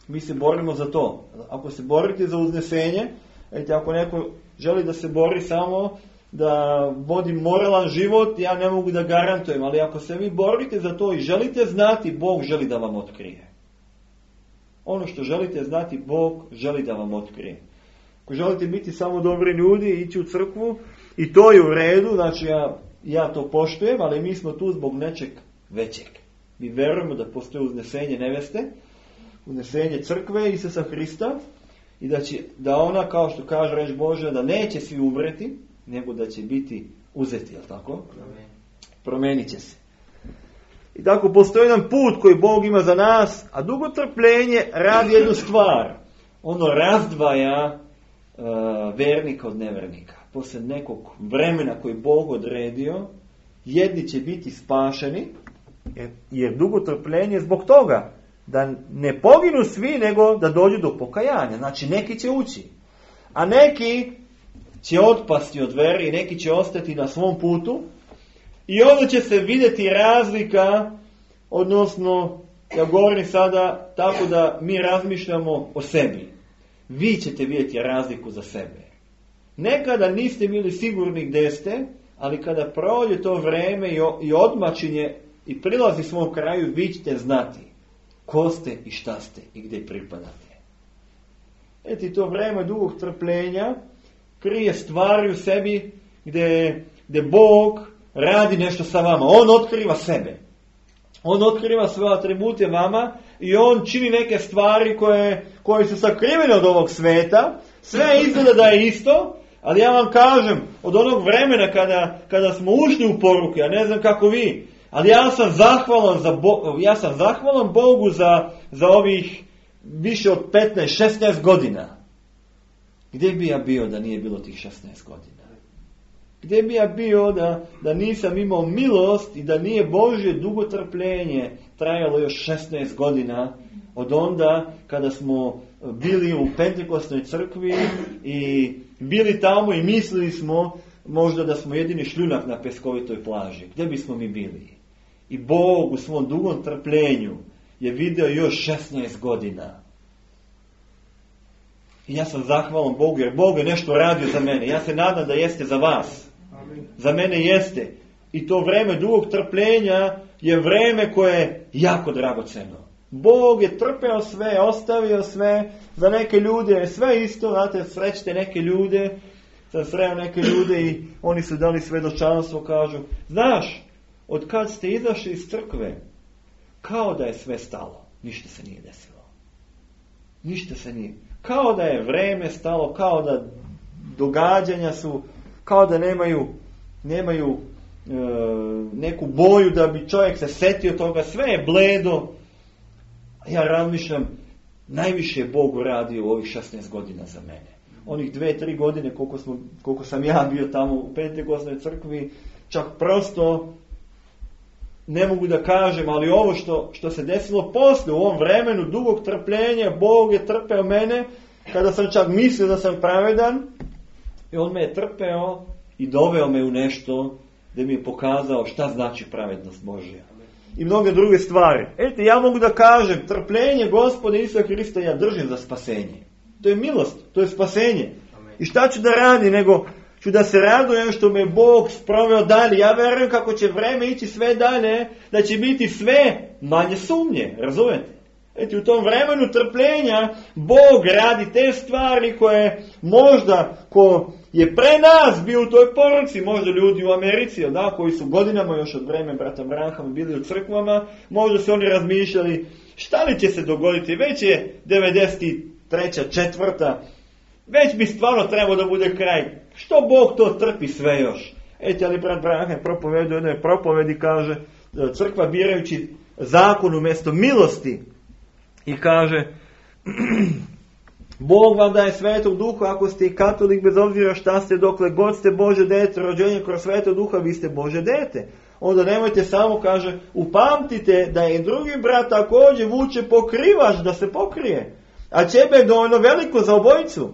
Mi se borimo za to. Ako se borite za uznesenje, ete, ako neko želi da se bori samo da vodi moralan život, ja ne mogu da garantujem, ali ako se vi borite za to i želite znati, Bog želi da vam otkrije. Ono što želite znati, Bog želi da vam otkrije. Ako želite biti samo dobri ljudi i ići u crkvu, i to je u redu, znači ja, ja to poštujem, ali mi smo tu zbog nečeg većeg. Mi verujemo da postoji uznesenje neveste, uznesenje crkve Isusa Hrista i da, će, da ona, kao što kaže reč Božja, da neće svi umreti, nego da će biti uzeti, jel tako? Amen. Promenit će se. I tako postoji jedan put koji Bog ima za nas, a dugo trpljenje radi jednu stvar. Ono razdvaja uh, vernika od nevernika. Poslije nekog vremena koji Bog odredio, jedni će biti spašeni, jer, jer dugo trpljenje zbog toga da ne poginu svi, nego da dođu do pokajanja. Znači neki će ući, a neki će otpasti od vere i neki će ostati na svom putu i onda će se vidjeti razlika, odnosno, ja govorim sada tako da mi razmišljamo o sebi. Vi ćete vidjeti razliku za sebe. Nekada niste bili sigurni gdje ste, ali kada prođe to vreme i odmačinje i prilazi svom kraju, vi ćete znati ko ste i šta ste i gdje pripadate. Eti to vreme dugog trpljenja krije stvari u sebi gdje, gdje Bog radi nešto sa vama. On otkriva sebe. On otkriva svoje atribute vama i on čini neke stvari koje, koje su sakrivene od ovog sveta. Sve izgleda da je isto, ali ja vam kažem, od onog vremena kada, kada smo ušli u poruke, ja ne znam kako vi, ali ja sam zahvalan, za Bo, ja sam zahvalan Bogu za, za ovih više od petnaest šesnaest godina. Gdje bi ja bio da nije bilo tih šesnaest godina? Gdje bi ja bio da, da nisam imao milost i da nije Božje dugotrpljenje trajalo još šesnaest godina od onda kada smo bili u Pentekostnoj crkvi i bili tamo i mislili smo možda da smo jedini šljunak na peskovitoj plaži. Gdje bismo mi bili? I Bog u svom dugom trpljenju je vidio još šesnaest godina. I ja sam zahvalan Bogu jer Bog je nešto radio za mene. Ja se nadam da jeste za vas. Amin. Za mene jeste. I to vreme dugog trpljenja je vreme koje je jako dragoceno. Bog je trpeo sve, ostavio sve. Za neke ljude je sve isto. Znate, srećete neke ljude. Sam sreo neke ljude i oni su dali svedočanstvo, kažu, znaš, od kad ste izašli iz crkve, kao da je sve stalo. Ništa se nije desilo. Ništa se nije. Kao da je vreme stalo, kao da događanja su, kao da nemaju, nemaju e, neku boju da bi čovjek se setio toga, sve je bledo. Ja razmišljam, najviše je Bog uradio u ovih šesnaest godina za mene. Onih dve, tri godine koliko, smo, koliko sam ja bio tamo u Pentekostnoj crkvi, čak prosto ne mogu da kažem, ali ovo što, što se desilo posle, u ovom vremenu dugog trpljenja, Bog je trpeo mene, kada sam čak mislio da sam pravedan, i on me je trpeo i doveo me u nešto da mi je pokazao šta znači pravednost Božja. I mnoge druge stvari. Eto, ja mogu da kažem, trpljenje Gospoda Isusa Hrista ja držim za spasenje. To je milost, to je spasenje. I šta ću da radim, nego ću da se radujem što me Bog sproveo dalje. Ja verujem kako će vreme ići sve dalje, da će biti sve manje sumnje, razumete? Eto, u tom vremenu trpljenja Bog radi te stvari koje možda ko je pre nas bio u toj poruci, možda ljudi u Americi, da, koji su godinama još od vremena brata Branhama bili u crkvama, možda su oni razmišljali šta li će se dogoditi, već je devedeset treća, četvrta, već bi stvarno trebao da bude kraj. Što Bog to trpi sve još? Eto, ali brat Branham propovedi u jednoj propovedi, kaže, crkva birajući zakon umjesto milosti i kaže Bog vam daje svetog duha ako ste i katolik, bez obzira šta ste, dokle god ste Bože dete, rođenje kroz svetog duha, vi ste Bože dete. onda nemojte samo, kaže, upamtite da je drugi brat također vuče pokrivač da se pokrije. A ćebe je dovoljno veliko za obojicu.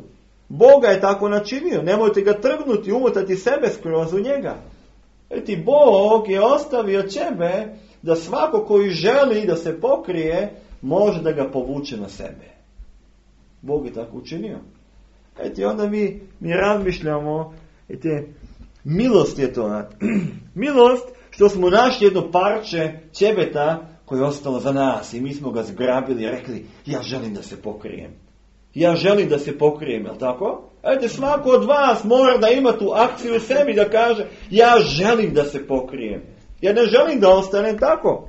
Boga je tako načinio. Nemojte ga trgnuti, umotati sebe skroz u njega. Eti, Bog je ostavio ćebe da svako koji želi da se pokrije, može da ga povuče na sebe. Bog je tako učinio. Eti, onda mi, mi razmišljamo, eti, milost je to. Milost što smo našli jedno parče ćebeta koje je ostalo za nas i mi smo ga zgrabili i rekli, ja želim da se pokrijem. Ja želim da se pokrijem, jel tako? Ete, svako od vas mora da ima tu akciju u sebi da kaže, ja želim da se pokrijem. Ja ne želim da ostanem tako.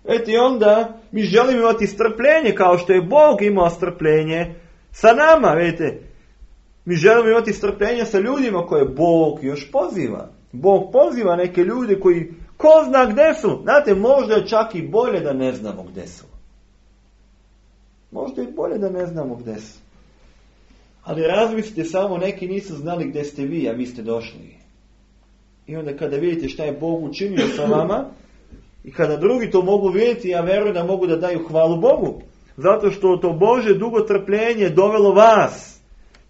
Eti, onda mi želimo imati strpljenje kao što je Bog imao strpljenje sa nama, vidite. Mi želimo imati strpljenje sa ljudima koje Bog još poziva. Bog poziva neke ljude koji ko zna gdje su. Znate, možda je čak i bolje da ne znamo gdje su. Možda je bolje da ne znamo gdje su. Ali razmislite samo, neki nisu znali gdje ste vi, a vi ste došli. I onda kada vidite šta je Bog učinio sa vama, i kada drugi to mogu vidjeti, ja vjerujem da mogu da daju hvalu Bogu. Zato što to Božje dugo trpljenje dovelo vas,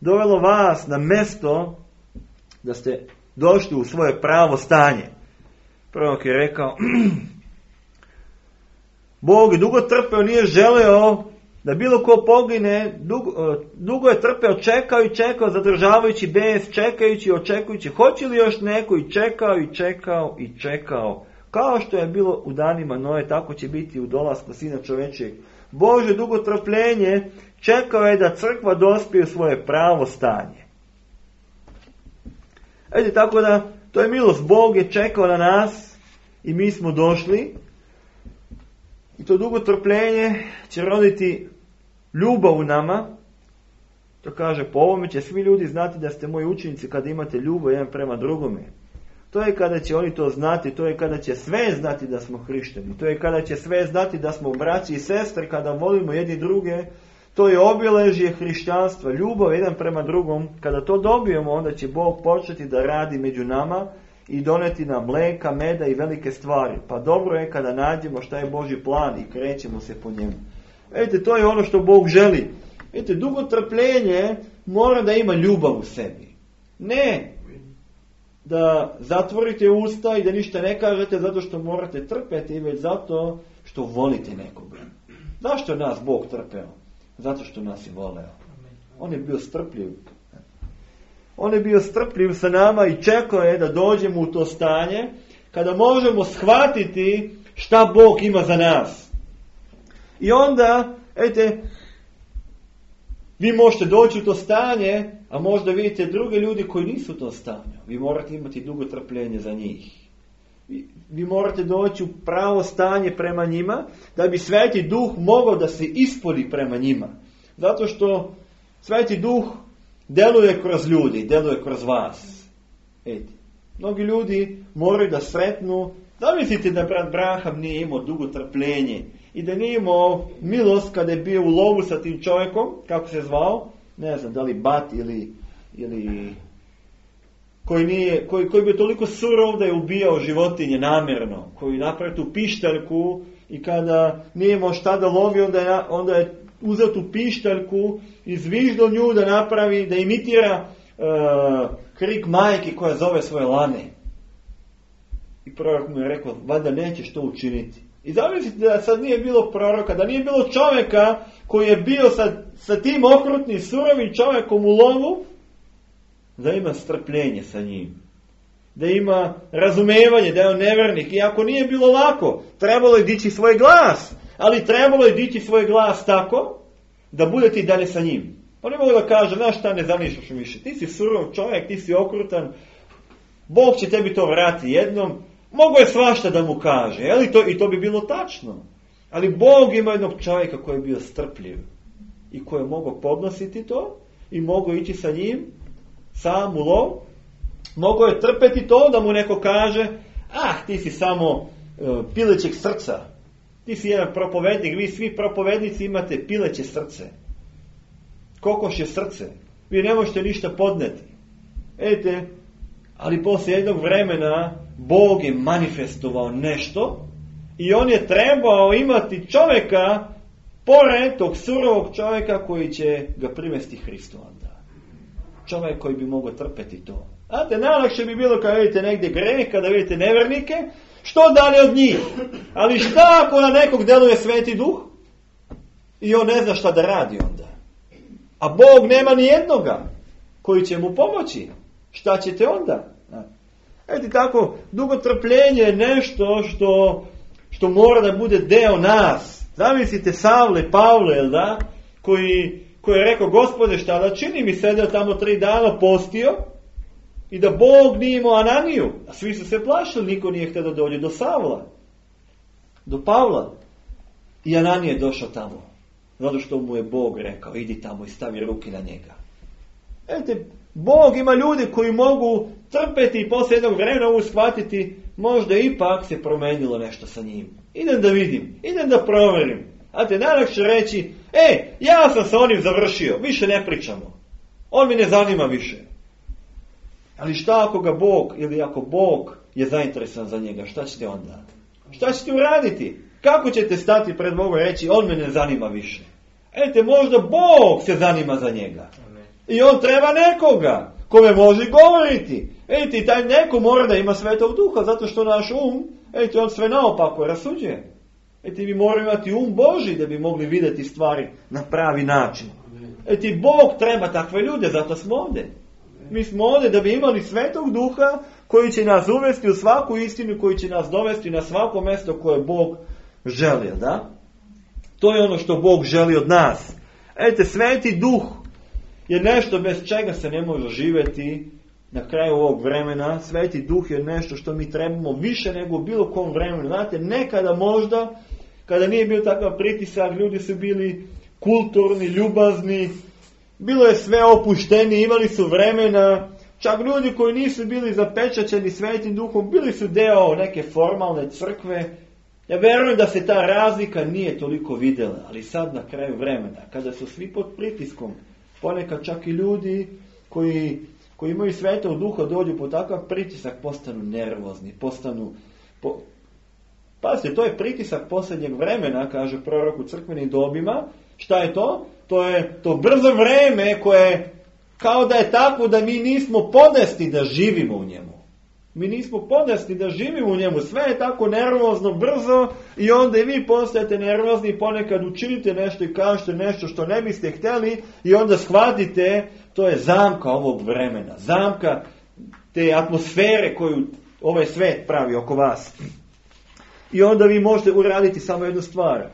dovelo vas na mjesto da ste došli u svoje pravo stanje. Prorok je rekao, Bog je dugo trpeo, nije želeo da bilo ko pogine, dugo, dugo je trpeo, čekao i čekao, zadržavajući bes, čekajući, očekujući, hoće li još neko, i čekao i čekao i čekao. Kao što je bilo u danima Noe, tako će biti u dolasku Sina čovečijeg. Bože dugo trpljenje čekao je da crkva dospije u svoje pravo stanje. Edi, tako da, to je milost. Bog je čekao na nas i mi smo došli. I to dugo trpljenje će roditi ljubav u nama. To kaže, po ovome će svi ljudi znati da ste moji učenici kada imate ljubav jedan prema drugome. To je kada će oni to znati, to je kada će sve znati da smo hrišćani. To je kada će sve znati da smo braći i sestre, kada volimo jedni druge. To je obilježje hrišćanstva, ljubav jedan prema drugom. Kada to dobijemo, onda će Bog početi da radi među nama i doneti nam mleka, meda i velike stvari. Pa dobro je kada nađemo šta je Božji plan i krećemo se po njemu. Vidite, to je ono što Bog želi. Vidite, dugo trpljenje mora da ima ljubav u sebi. Ne da zatvorite usta i da ništa ne kažete zato što morate trpeti, već zato što volite nekoga. Zašto je nas Bog trpeo? Zato što nas je voleo. On je bio strpljiv. On je bio strpljiv sa nama i čekao je da dođemo u to stanje kada možemo shvatiti šta Bog ima za nas. I onda, ejte, vi možete doći u to stanje, a možda vidite druge ljudi koji nisu u to stanju. Vi morate imati dugo trpljenje za njih. Vi, vi morate doći u pravo stanje prema njima, da bi Sveti Duh mogao da se ispolji prema njima. Zato što Sveti Duh deluje kroz ljudi, deluje kroz vas. Eti, mnogi ljudi moraju da sretnu. Zamislite da brat Braham nije imao dugo trpljenje i da nije imao milost kada je bio u lovu sa tim čovjekom, kako se zvao, ne znam, da li Bat ili, ili koji, nije, koji, koji bi toliko surov da je ubijao životinje namjerno, koji napravi tu pištaljku i kada nije imao šta da lovi, onda je, onda je uzeo tu pištaljku i zviždo nju da napravi, da imitira uh, krik majke koja zove svoje lane. I prorok mu je rekao, valjda nećeš to učiniti. I zamislite da sad nije bilo proroka, da nije bilo čovjeka koji je bio sa, sa tim okrutnim, surovim čovjekom u lovu, da ima strpljenje sa njim. Da ima razumevanje, da je on nevernik. Iako nije bilo lako, trebalo je dići svoj glas. Ali trebalo je dići svoj glas tako, da budete i dalje sa njim. Pa ne mogu da kaže, znaš šta, ne zanišaš više. Ti si surov čovjek, ti si okrutan. Bog će tebi to vratiti jednom. Mogu je svašta da mu kaže. Je to, i to bi bilo tačno. Ali Bog ima jednog čovjeka koji je bio strpljiv. I koji je mogao podnositi to. I mogao ići sa njim. Sam u lov. Mogao je trpeti to da mu neko kaže, ah, ti si samo uh, pilećeg srca. Ti si jedan propovednik. Vi svi propovednici imate pileće srce. Kokošje srce. Vi ne možete ništa podneti. Edite, ali poslije jednog vremena Bog je manifestovao nešto i on je trebao imati čovjeka pored tog surovog čovjeka koji će ga privesti Hristu onda. Čovjek koji bi mogao trpeti to. Znate, najlakše bi bilo kada vidite negdje greh, kada vidite nevernike, što dalje od njih. Ali šta ako na nekog deluje Sveti Duh i on ne zna šta da radi onda? A Bog nema ni jednoga koji će mu pomoći. Šta ćete onda? Eto tako, dugotrpljenje je nešto što, što mora da bude deo nas. Zamislite Savle, Pavle, jel da? Koji, koji je rekao, Gospode, šta da čini, mi sedeo tamo tri dana, postio, i da Bog nije imao Ananiju. A svi su se plašili, niko nije htio da dođe do Savla, do Pavla. I Ananije je došao tamo. Zato što mu je Bog rekao, idi tamo i stavi ruke na njega. Eto, Bog ima ljude koji mogu trpeti i poslije jednog vremena mogu shvatiti, možda ipak se promenilo nešto sa njim. Idem da vidim, idem da provjerim. A te najlakše reći, e, ja sam sa onim završio, više ne pričamo. On mi ne zanima više. Ali šta ako ga Bog, ili ako Bog je zainteresovan za njega, šta ćete onda? Šta ćete uraditi? Kako ćete stati pred Bogom i reći, on me ne zanima više? Ete, možda Bog se zanima za njega. I on treba nekoga kome može govoriti. Ete, taj neko mora da ima Svetog Duha, zato što naš um, ete, on sve naopako rasuđuje. Ete, mi moramo imati um Božji da bi mogli vidjeti stvari na pravi način. Ete, Bog treba takve ljude, zato smo ovdje. Mi smo ovdje da bi imali Svetog Duha koji će nas uvesti u svaku istinu, koji će nas dovesti na svako mjesto koje Bog želi, da? To je ono što Bog želi od nas. Ete, Sveti Duh je nešto bez čega se ne može živjeti na kraju ovog vremena. Sveti Duh je nešto što mi trebamo više nego u bilo kom vremenu. Znate, nekada možda, kada nije bio takav pritisak, ljudi su bili kulturni, ljubazni, bilo je sve opušteni, imali su vremena. Čak ljudi koji nisu bili zapečaćeni Svetim Duhom, bili su deo neke formalne crkve. Ja vjerujem da se ta razlika nije toliko vidjela, ali sad na kraju vremena, kada su svi pod pritiskom, ponekad čak i ljudi koji, koji imaju Svetog Duha dođu pod takav pritisak, postanu nervozni, postanu... Po... Pazite, to je pritisak posljednjeg vremena, kaže prorok u crkvenim dobima. Šta je to? To je to brzo vreme koje kao da je tako da mi nismo podesni da živimo u njemu. Mi nismo podesni da živimo u njemu. Sve je tako nervozno, brzo i onda i vi postajete nervozni i ponekad učinite nešto i kažete nešto što ne biste htjeli i onda shvatite, to je zamka ovog vremena. Zamka te atmosfere koju ovaj svet pravi oko vas. I onda vi možete uraditi samo jednu stvar.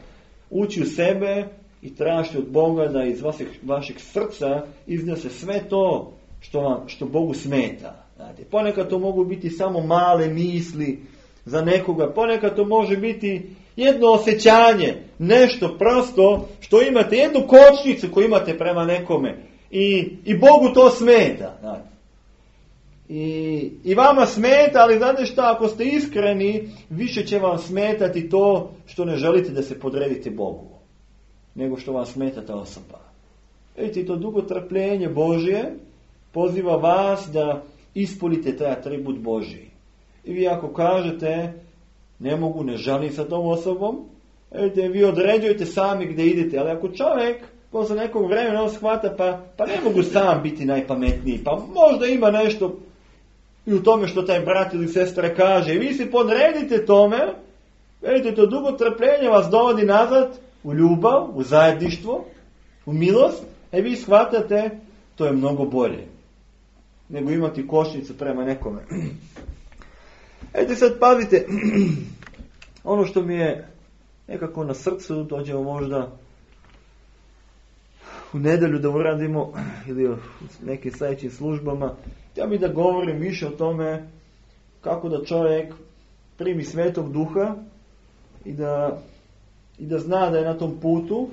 Ući u sebe i tražiti od Boga da iz vašeg, vašeg srca iznese sve to što, vam, što Bogu smeta. Znate, ponekad to mogu biti samo male misli za nekoga, ponekad to može biti jedno osjećanje, nešto prosto što imate, jednu kočnicu koju imate prema nekome i, i Bogu to smeta. Znate. I, I vama smeta, ali znate šta, ako ste iskreni, više će vam smetati to što ne želite da se podredite Bogu, nego što vam smeta ta osoba. Vidite, to dugotrpljenje Božje poziva vas da ispunite taj atribut Božji. I vi ako kažete, ne mogu, ne želim sa tom osobom, vidite, vi određujete sami gdje idete, ali ako čovjek posle nekog vremena on shvata, pa, pa ne mogu sam biti najpametniji, pa možda ima nešto i u tome što taj brat ili sestra kaže, i vi se podredite tome, vidite, to dugotrpljenje vas dovodi nazad u ljubav, u zajedništvo, u milost, a vi shvatate, to je mnogo bolje nego imati košnicu prema nekome. Ejte sad pazite, ono što mi je nekako na srcu, dođemo možda u nedjelju da uradimo ili u nekim sljedećim službama, ja bih da govorim više o tome kako da čovjek primi Svetog Duha i da, i da zna da je na tom putu,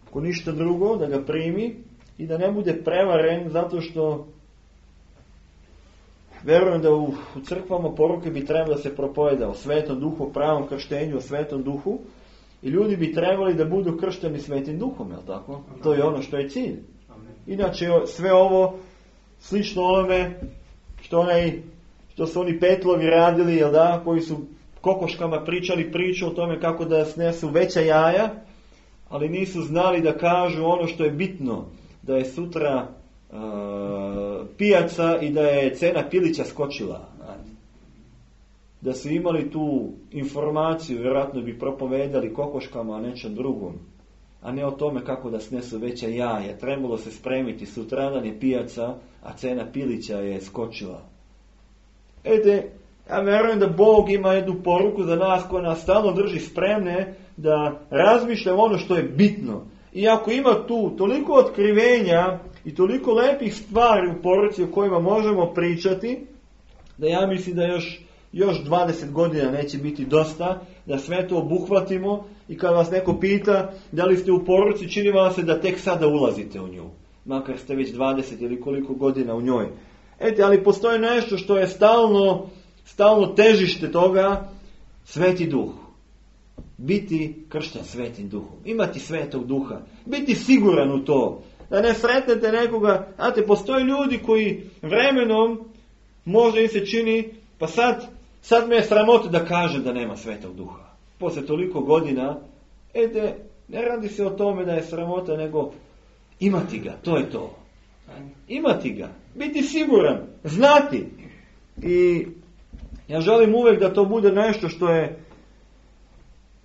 ako ništa drugo, da ga primi i da ne bude prevaren zato što verujem da u, u crkvama poruke bi trebalo da se propoveda o Svetom Duhu, o pravom krštenju, o Svetom Duhu i ljudi bi trebali da budu kršteni Svetim Duhom, jel tako? Amen. To je ono što je cilj. Amen. Inače sve ovo slično onome što onaj što su oni petlovi radili, jel da, koji su kokoškama pričali priču o tome kako da snesu veća jaja, ali nisu znali da kažu ono što je bitno, da je sutra uh, pijaca i da je cena pilića skočila. Da su imali tu informaciju, vjerojatno bi propovedali kokoškama, a nečem drugom, a ne o tome kako da snesu veća jaja. Trebalo se spremiti, sutradan je pijaca, a cena pilića je skočila. Ede, ja vjerujem da Bog ima jednu poruku za nas koja nas stalno drži spremne da razmišljamo ono što je bitno. I ako ima tu toliko otkrivenja i toliko lepih stvari u poruci o kojima možemo pričati, da ja mislim da još, još dvadeset godina neće biti dosta, da sve to obuhvatimo i kad vas neko pita da li ste u poruci, čini vam se da tek sada ulazite u nju. Makar ste već dvadeset ili koliko godina u njoj. Ete, ali postoji nešto što je stalno, stalno težište toga, Sveti Duh. Biti kršten Svetim Duhom. Imati Svetog Duha. Biti siguran u to. Da ne sretnete nekoga. Znate, postoje ljudi koji vremenom možda im se čini, pa sad, sad me je sramota da kaže da nema Svetog Duha. Poslije toliko godina, ete, ne radi se o tome da je sramota, nego imati ga. To je to. Imati ga. Biti siguran. Znati. I ja želim uvijek da to bude nešto što je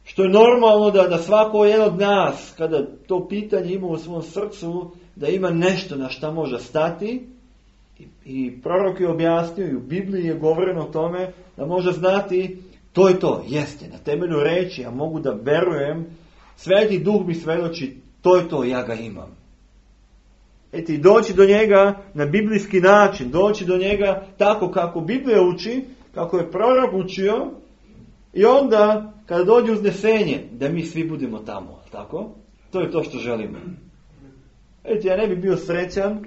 što je normalno da, da svako jedan od nas, kada to pitanje ima u svom srcu, da ima nešto na šta može stati. I, i prorok je objasnio, i u Bibliji je govoreno o tome, da može znati, to je to, jeste, na temelju reči, ja mogu da verujem, Sveti Duh mi svedoči, to je to, ja ga imam. Eti, i doći do njega na biblijski način, doći do njega tako kako Biblija uči, kako je prorok učio, i onda, kada dođe uznesenje, da mi svi budemo tamo, tako? To je to što želimo. Eti, ja ne bih bio srećan,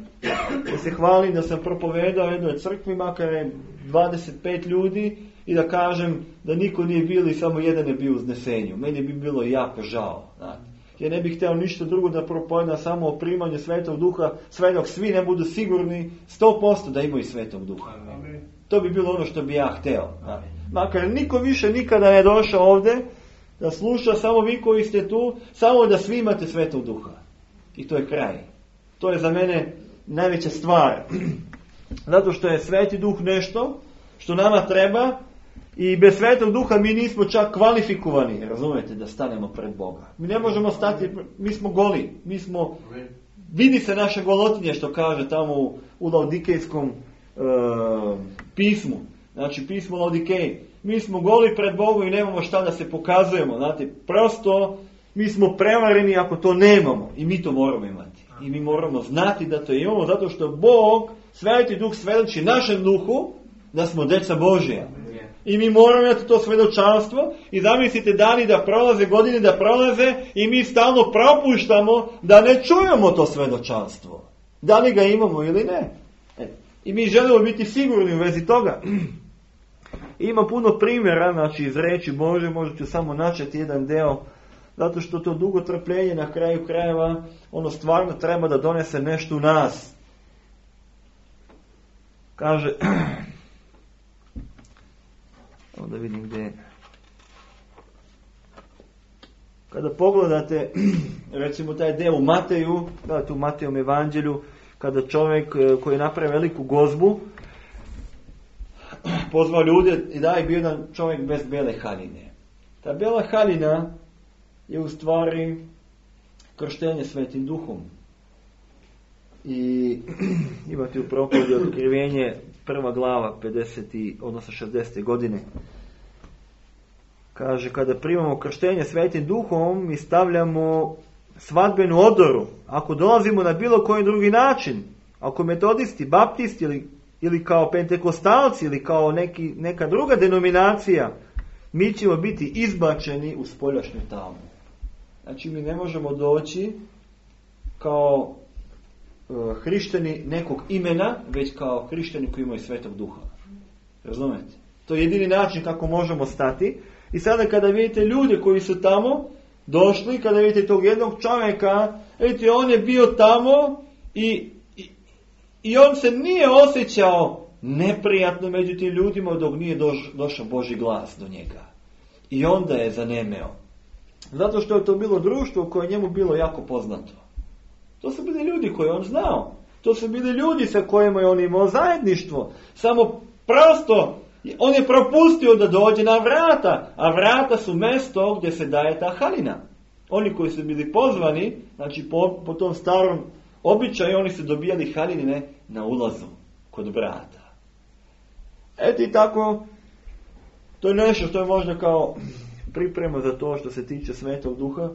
da se hvalim da sam propovedao jednoj crkvi, makar je dvadeset pet ljudi, i da kažem da niko nije bio i samo jedan je bio u uznesenju. Meni bi bilo jako žao, znate. Ja ne bih htio ništa drugo da propovedam samo o primanju Svetog Duha, sve dok svi ne budu sigurni sto posto da imaju Svetog Duha. Amen. To bi bilo ono što bi ja htio. Makar niko više nikada ne došao ovdje da sluša, samo vi koji ste tu, samo da svi imate Svetog Duha. I to je kraj. To je za mene najveća stvar. Zato što je Sveti Duh nešto što nama treba. I bez Svetog Duha mi nismo čak kvalifikovani, razumijete, da stanemo pred Boga. Mi ne možemo stati, mi smo goli, mi smo, vidi se naše golotinje što kaže tamo u, u Laodikejskom e, pismu, znači pismo Laodikej. Mi smo goli pred Bogom i nemamo šta da se pokazujemo, znate, prosto mi smo prevareni ako to nemamo i mi to moramo imati. I mi moramo znati da to imamo, zato što Bog, Sveti Duh svedoči našem duhu da smo djeca Božja. I mi moramo imati to svedočanstvo i zamislite dani da prolaze, godine da prolaze i mi stalno propuštamo da ne čujemo to svedočanstvo. Da li ga imamo ili ne. E. I mi želimo biti sigurni u vezi toga. Ima puno primjera, znači iz reči Bože, možda ću samo načeti jedan deo, zato što to dugo trpljenje na kraju krajeva, ono stvarno treba da donese nešto u nas. Kaže... Da vidim gdje. Kada pogledate recimo taj deo u Mateju, da, tu u Matejom evanđelju, kada čovjek koji je napravio veliku gozbu pozvao ljude i da je bio jedan čovjek bez bele haljine. Ta bela haljina je u stvari krštenje Svetim Duhom. I imate u propovjedi Otkrivenje prva glava pedeset odnosno šezdeset godine. Kaže, kada primamo krštenje Svetim Duhom, mi stavljamo svadbenu odoru. Ako dolazimo na bilo koji drugi način, ako metodisti, baptisti ili, ili kao pentekostalci ili kao neki, neka druga denominacija, mi ćemo biti izbačeni u spoljašnju tamu. Znači mi ne možemo doći kao hrišćani nekog imena, već kao hrišćani koji imaju Svetog Duha. Razumete? To je jedini način kako možemo stati. I sada kada vidite ljude koji su tamo došli, kada vidite tog jednog čovjeka, vidite, on je bio tamo i, i, i on se nije osjećao neprijatno među tim ljudima dok nije doš, došao Božji glas do njega. I onda je zanemeo. Zato što je to bilo društvo koje je njemu bilo jako poznato. To su bili ljudi koje on znao. To su bili ljudi sa kojima je on imao zajedništvo. Samo prosto on je propustio da dođe na vrata. A vrata su mjesto gdje se daje ta haljina. Oni koji su bili pozvani, znači po, po tom starom običaju, oni su dobijali haljine na ulazu kod vrata. Eto i tako, to je nešto što je možda kao priprema za to što se tiče Svetog Duha.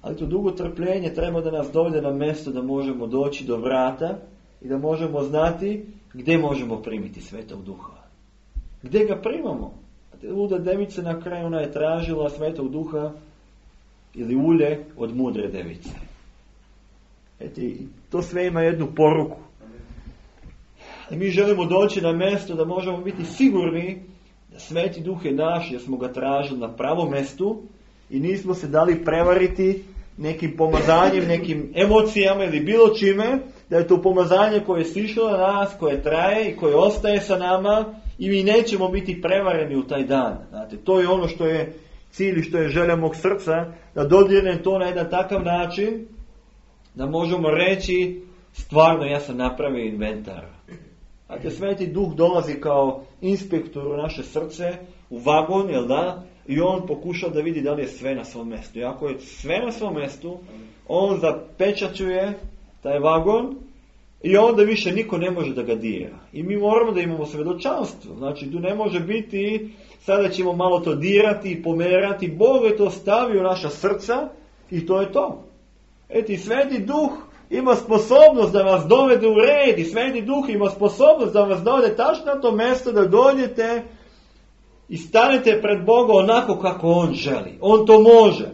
Ali to dugo trpljenje treba da nas dovede na mjesto da možemo doći do vrata i da možemo znati gdje možemo primiti Svetog Duha. Gdje ga primamo? Luda devica na kraju, ona je tražila Svetog Duha ili ulje od mudre device. Eto, to sve ima jednu poruku. I mi želimo doći na mjesto da možemo biti sigurni da Sveti Duh je naš, jer smo ga tražili na pravom mjestu i nismo se dali prevariti nekim pomazanjem, nekim emocijama ili bilo čime, da je to pomazanje koje je sišlo na nas, koje traje i koje ostaje sa nama i mi nećemo biti prevareni u taj dan. Znate, to je ono što je cilj i što je želja mog srca, da dodirnem to na jedan takav način da možemo reći stvarno ja sam napravio inventar. A te Sveti Duh dolazi kao inspektor u naše srce, u vagon, jel da? I on pokuša da vidi da li je sve na svom mjestu. I ako je sve na svom mjestu, on zapečaćuje taj vagon i onda više niko ne može da ga dira. I mi moramo da imamo svjedočanstvo. Znači, tu ne može biti, sada ćemo malo to dirati i pomerati. Bog je to stavio u naša srca i to je to. Eto, i Sveti Duh ima sposobnost da vas dovede u red i Sveti Duh ima sposobnost da vas dovede tačno na to mjesto da dođete i stanete pred Boga onako kako On želi. On to može.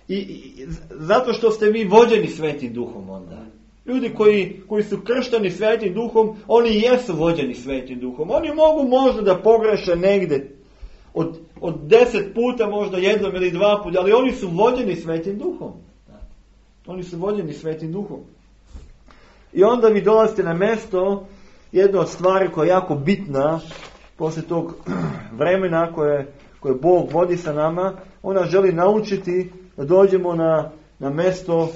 I, i zato što ste vi vođeni Svetim Duhom onda. Ljudi koji, koji su kršteni Svetim Duhom, oni jesu vođeni Svetim Duhom. Oni mogu možda da pogreše negdje od, od deset puta, možda jednom ili dva puta, ali oni su vođeni Svetim Duhom. Oni su vođeni Svetim Duhom. I onda vi dolazite na mjesto, jedna od stvari koja je jako bitna, poslije tog vremena koje, koje Bog vodi sa nama, ona želi naučiti da dođemo na, na mjesto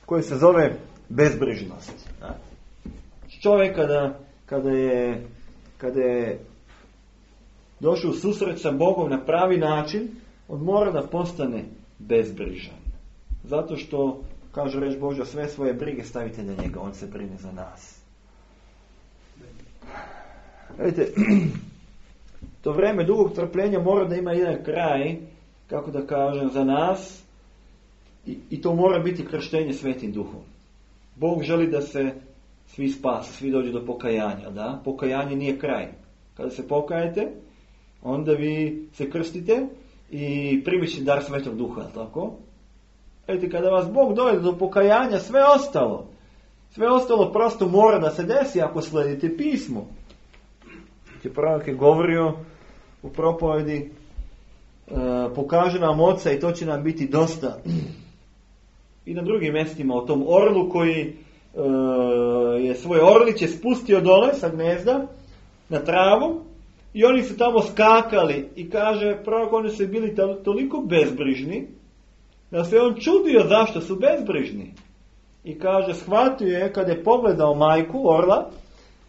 koje se zove bezbrižnost. Čovjek kada, kada, je, kada je došao u susret sa Bogom na pravi način, on mora da postane bezbrižan. Zato što, kaže reč Božja, sve svoje brige stavite na njega, on se brine za nas. Vidite, to vrijeme dugog trpljenja mora da ima jedan kraj, kako da kažem, za nas i, i to mora biti krštenje Svetim Duhom. Bog želi da se svi spase, svi dođu do pokajanja, da? Pokajanje nije kraj. Kada se pokajete, onda vi se krstite i primit ćete dar Svetog Duha, tako? Vidite, kada vas Bog dovede do pokajanja, sve ostalo, sve ostalo prosto mora da se desi ako sledite pismo. Prorok je govorio u propovedi, e, pokaže nam Oca i to će nam biti dosta. I na drugim mjestima o tom orlu koji e, je svoje orliće spustio dole sa gnezda na travu i oni su tamo skakali i kaže prorok, oni su bili toliko bezbrižni da se on čudio zašto su bezbrižni. I kaže, shvatio je kada je pogledao majku orla,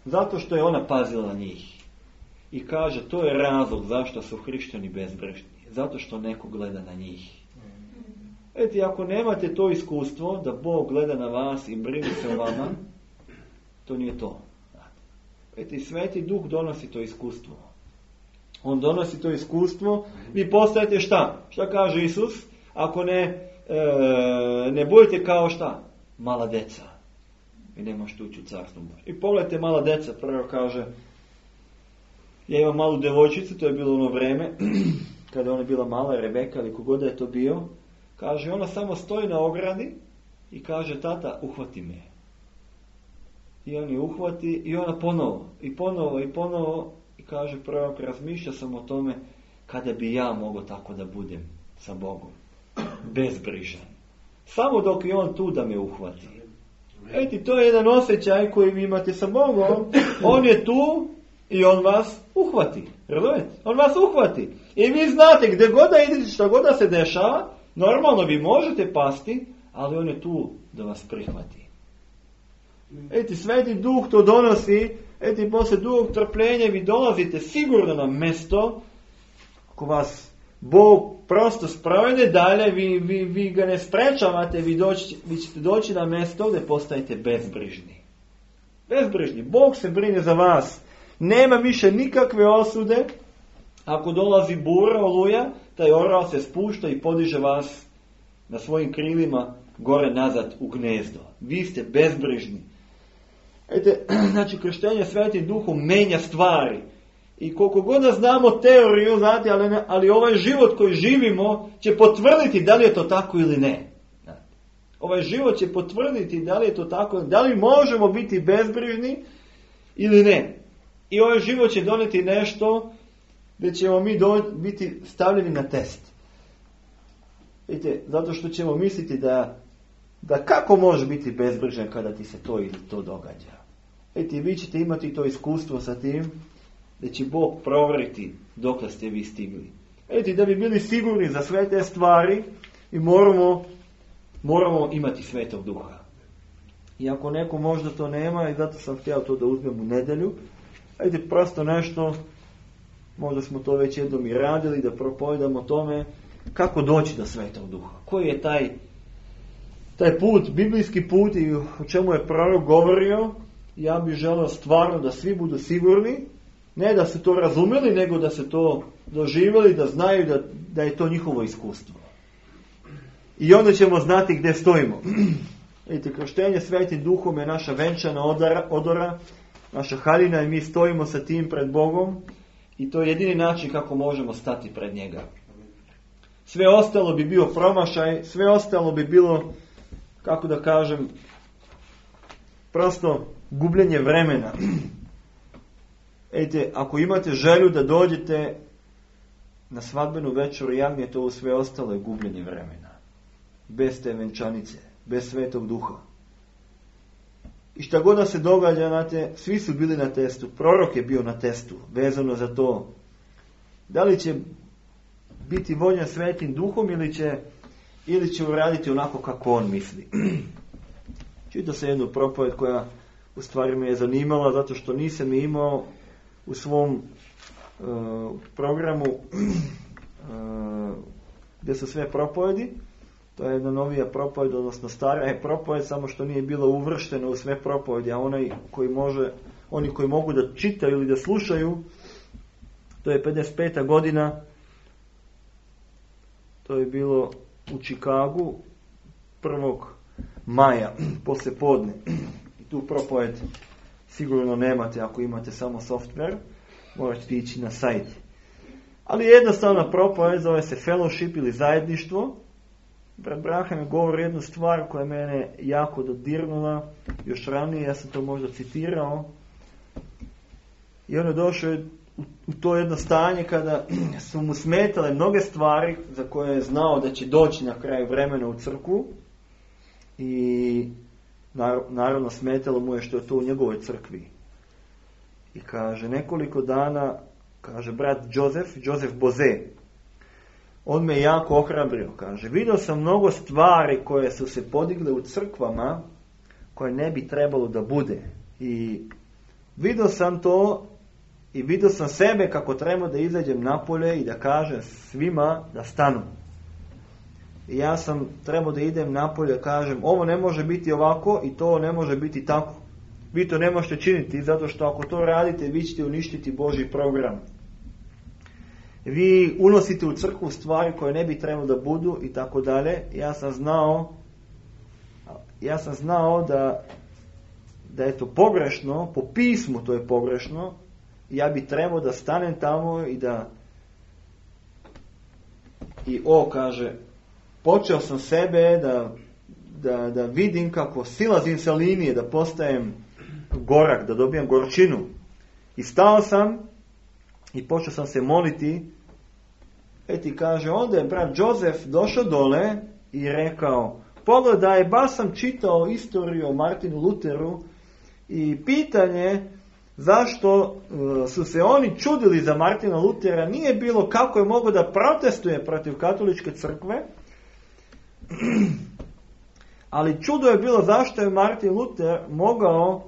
zato što je ona pazila njih. I kaže, to je razlog zašto su hrišćani bezbrižni. Zato što neko gleda na njih. Eti, ako nemate to iskustvo, da Bog gleda na vas i brine se o vama, to nije to. Eti, Sveti Duh donosi to iskustvo. On donosi to iskustvo. Vi postajete šta? Šta kaže Isus? Ako ne, e, ne budete kao šta? Mala deca. Vi ne možete ući u carstvo Božje. I pogledajte mala deca, prvo kaže, ja imam malu devojčicu, to je bilo ono vreme, kada ona bila mala, Rebeka ili kogod je to bio, kaže, ona samo stoji na ogradi i kaže, tata, uhvati me. I on je uhvati i ona ponovo, i ponovo, i ponovo, i kaže, prorok, razmišlja sam o tome kada bi ja mogao tako da budem sa Bogom. Bezbrižan. Samo dok je on tu da me uhvati. Eti, to je jedan osjećaj koji vi imate sa Bogom. On je tu i on vas uhvati. Razumete? On vas uhvati. I vi znate gdje god da idete, što god da se dešava, normalno vi možete pasti, ali on je tu da vas prihvati. Eti, Sveti Duh to donosi. Eti, poslije dugog trpljenja vi dolazite sigurno na mjesto. Ako vas Bog prosto sprovede dalje, vi, vi, vi ga ne sprečavate, vi, doći, vi ćete doći na mjesto gdje postajete bezbrižni. Bezbrižni. Bog se brine za vas. Nema više nikakve osude. Ako dolazi bura, oluja, taj orao se spušta i podiže vas na svojim krilima gore nazad u gnezdo. Vi ste bezbrižni. Ete, znači, krštenje Svetim Duhom menja stvari. I koliko god da znamo teoriju, znate, ali, ne, ali ovaj život koji živimo će potvrditi da li je to tako ili ne. Ovaj život će potvrditi da li je to tako, da li možemo biti bezbrižni ili ne. I ovaj život će doneti nešto gdje ćemo mi do, biti stavljeni na test. Vidite, zato što ćemo misliti da, da kako može biti bezbrižan kada ti se to ili to događa. Vidite, vi ćete imati to iskustvo sa tim da će Bog provjeriti dokle ste vi stigli. Vidite, da bi bili sigurni za sve te stvari i moramo, moramo imati Svetog Duha. I ako neko možda to nema, i zato sam htio to da uzmem u nedjelju, vidite, prosto nešto, možda smo to već jednom i radili, da propovedamo tome kako doći do Svetog Duha. Koji je taj, taj put, biblijski put i o čemu je prorok govorio. Ja bih želeo stvarno da svi budu sigurni, ne da su to razumjeli, nego da se to doživjeli, da znaju da, da je to njihovo iskustvo. I onda ćemo znati gdje stojimo. Vidite, krštenje Svetim Duhom je naša venčana odora, odora, naša haljina i mi stojimo sa tim pred Bogom i to je jedini način kako možemo stati pred njega. Sve ostalo bi bio promašaj, sve ostalo bi bilo, kako da kažem, prosto gubljenje vremena. Ejte, ako imate želju da dođete na svadbenu večeru jagnje, to sve ostalo je gubljenje vremena. Bez te venčanice, bez Svetog Duha. I šta god da se događa, znate, svi su bili na testu. Prorok je bio na testu, vezano za to. Da li će biti vođen Svetim Duhom ili će, ili će uraditi onako kako on misli. Čitao se jednu propoved koja u stvari me je zanimala, zato što nisam imao u svom uh, programu uh, gdje su sve propovedi. To je jedna novija propoved, odnosno stara je propoved, samo što nije bilo uvršteno u sve propovedi, a onaj koji može, oni koji mogu da čitaju ili da slušaju, to je pedeset peta godina, to je bilo u Čikagu prvog maja, poslije podne. I tu propoved sigurno nemate ako imate samo software, morate ići na sajt. Ali jednostavna propoved zove se fellowship ili zajedništvo. Brat Braham je govori jednu stvar koja je mene jako dodirnula, još ranije, ja sam to možda citirao. I on je došao u, u to jedno stanje kada su mu smetale mnoge stvari za koje je znao da će doći na kraju vremena u crkvu. I naravno smetalo mu je što je to u njegovoj crkvi. I kaže, nekoliko dana, kaže brat Joseph, Joseph Boze, on me jako ohrabrio, kaže, vidio sam mnogo stvari koje su se podigle u crkvama, koje ne bi trebalo da bude. I vidio sam to i vidio sam sebe kako treba da izađem napolje i da kažem svima da stanu. I ja sam trebao da idem napolje, kažem, ovo ne može biti ovako i to ne može biti tako. Vi to ne možete činiti, zato što ako to radite, vi ćete uništiti Božji program. Vi unosite u crkvu stvari koje ne bi trebalo da budu i tako dalje. Ja sam znao, ja sam znao da, da je to pogrešno, po pismu to je pogrešno. Ja bi trebao da stanem tamo i da, i o, kaže, počeo sam sebe da, da, da vidim kako silazim sa linije, da postajem gorak, da dobijam gorčinu. I stao sam i počeo sam se moliti. E ti kaže, onda je brat Joseph došao dole i rekao, pogledaj, baš sam čitao istoriju o Martinu Luteru i pitanje zašto su se oni čudili za Martina Lutera nije bilo kako je mogao da protestuje protiv katoličke crkve, ali čudo je bilo zašto je Martin Luter mogao,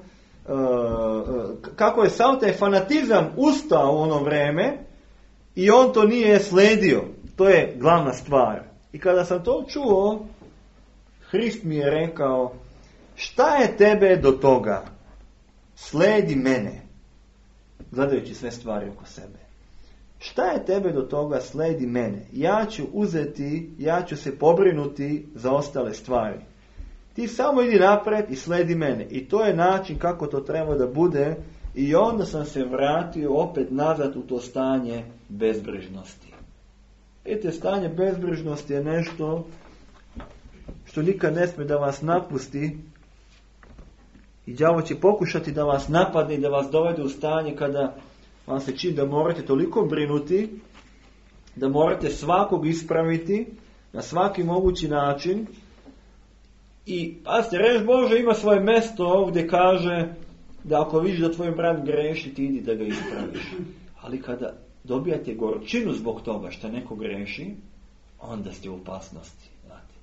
kako je sav taj fanatizam ustao u ono vreme i on to nije sledio. To je glavna stvar. I kada sam to čuo, Hrist mi je rekao, šta je tebe do toga? Sledi mene. Gledajući sve stvari oko sebe. Šta je tebe do toga? Sledi mene. Ja ću uzeti, ja ću se pobrinuti za ostale stvari. Ti samo idi napred i sledi mene. I to je način kako to treba da bude. I onda sam se vratio opet nazad u to stanje bezbrižnosti. Vidite, stanje bezbrižnosti je nešto što nikad ne smije da vas napusti. I đavo će pokušati da vas napadne i da vas dovede u stanje kada vam se čini da morate toliko brinuti, da morate svakog ispraviti na svaki mogući način. I pazite, reč Bože ima svoje mesto gdje kaže da ako vidiš da tvoj brat greši, ti idi da ga ispraviš. Ali kada dobijate gorčinu zbog toga što neko greši, onda ste u opasnosti. Znate.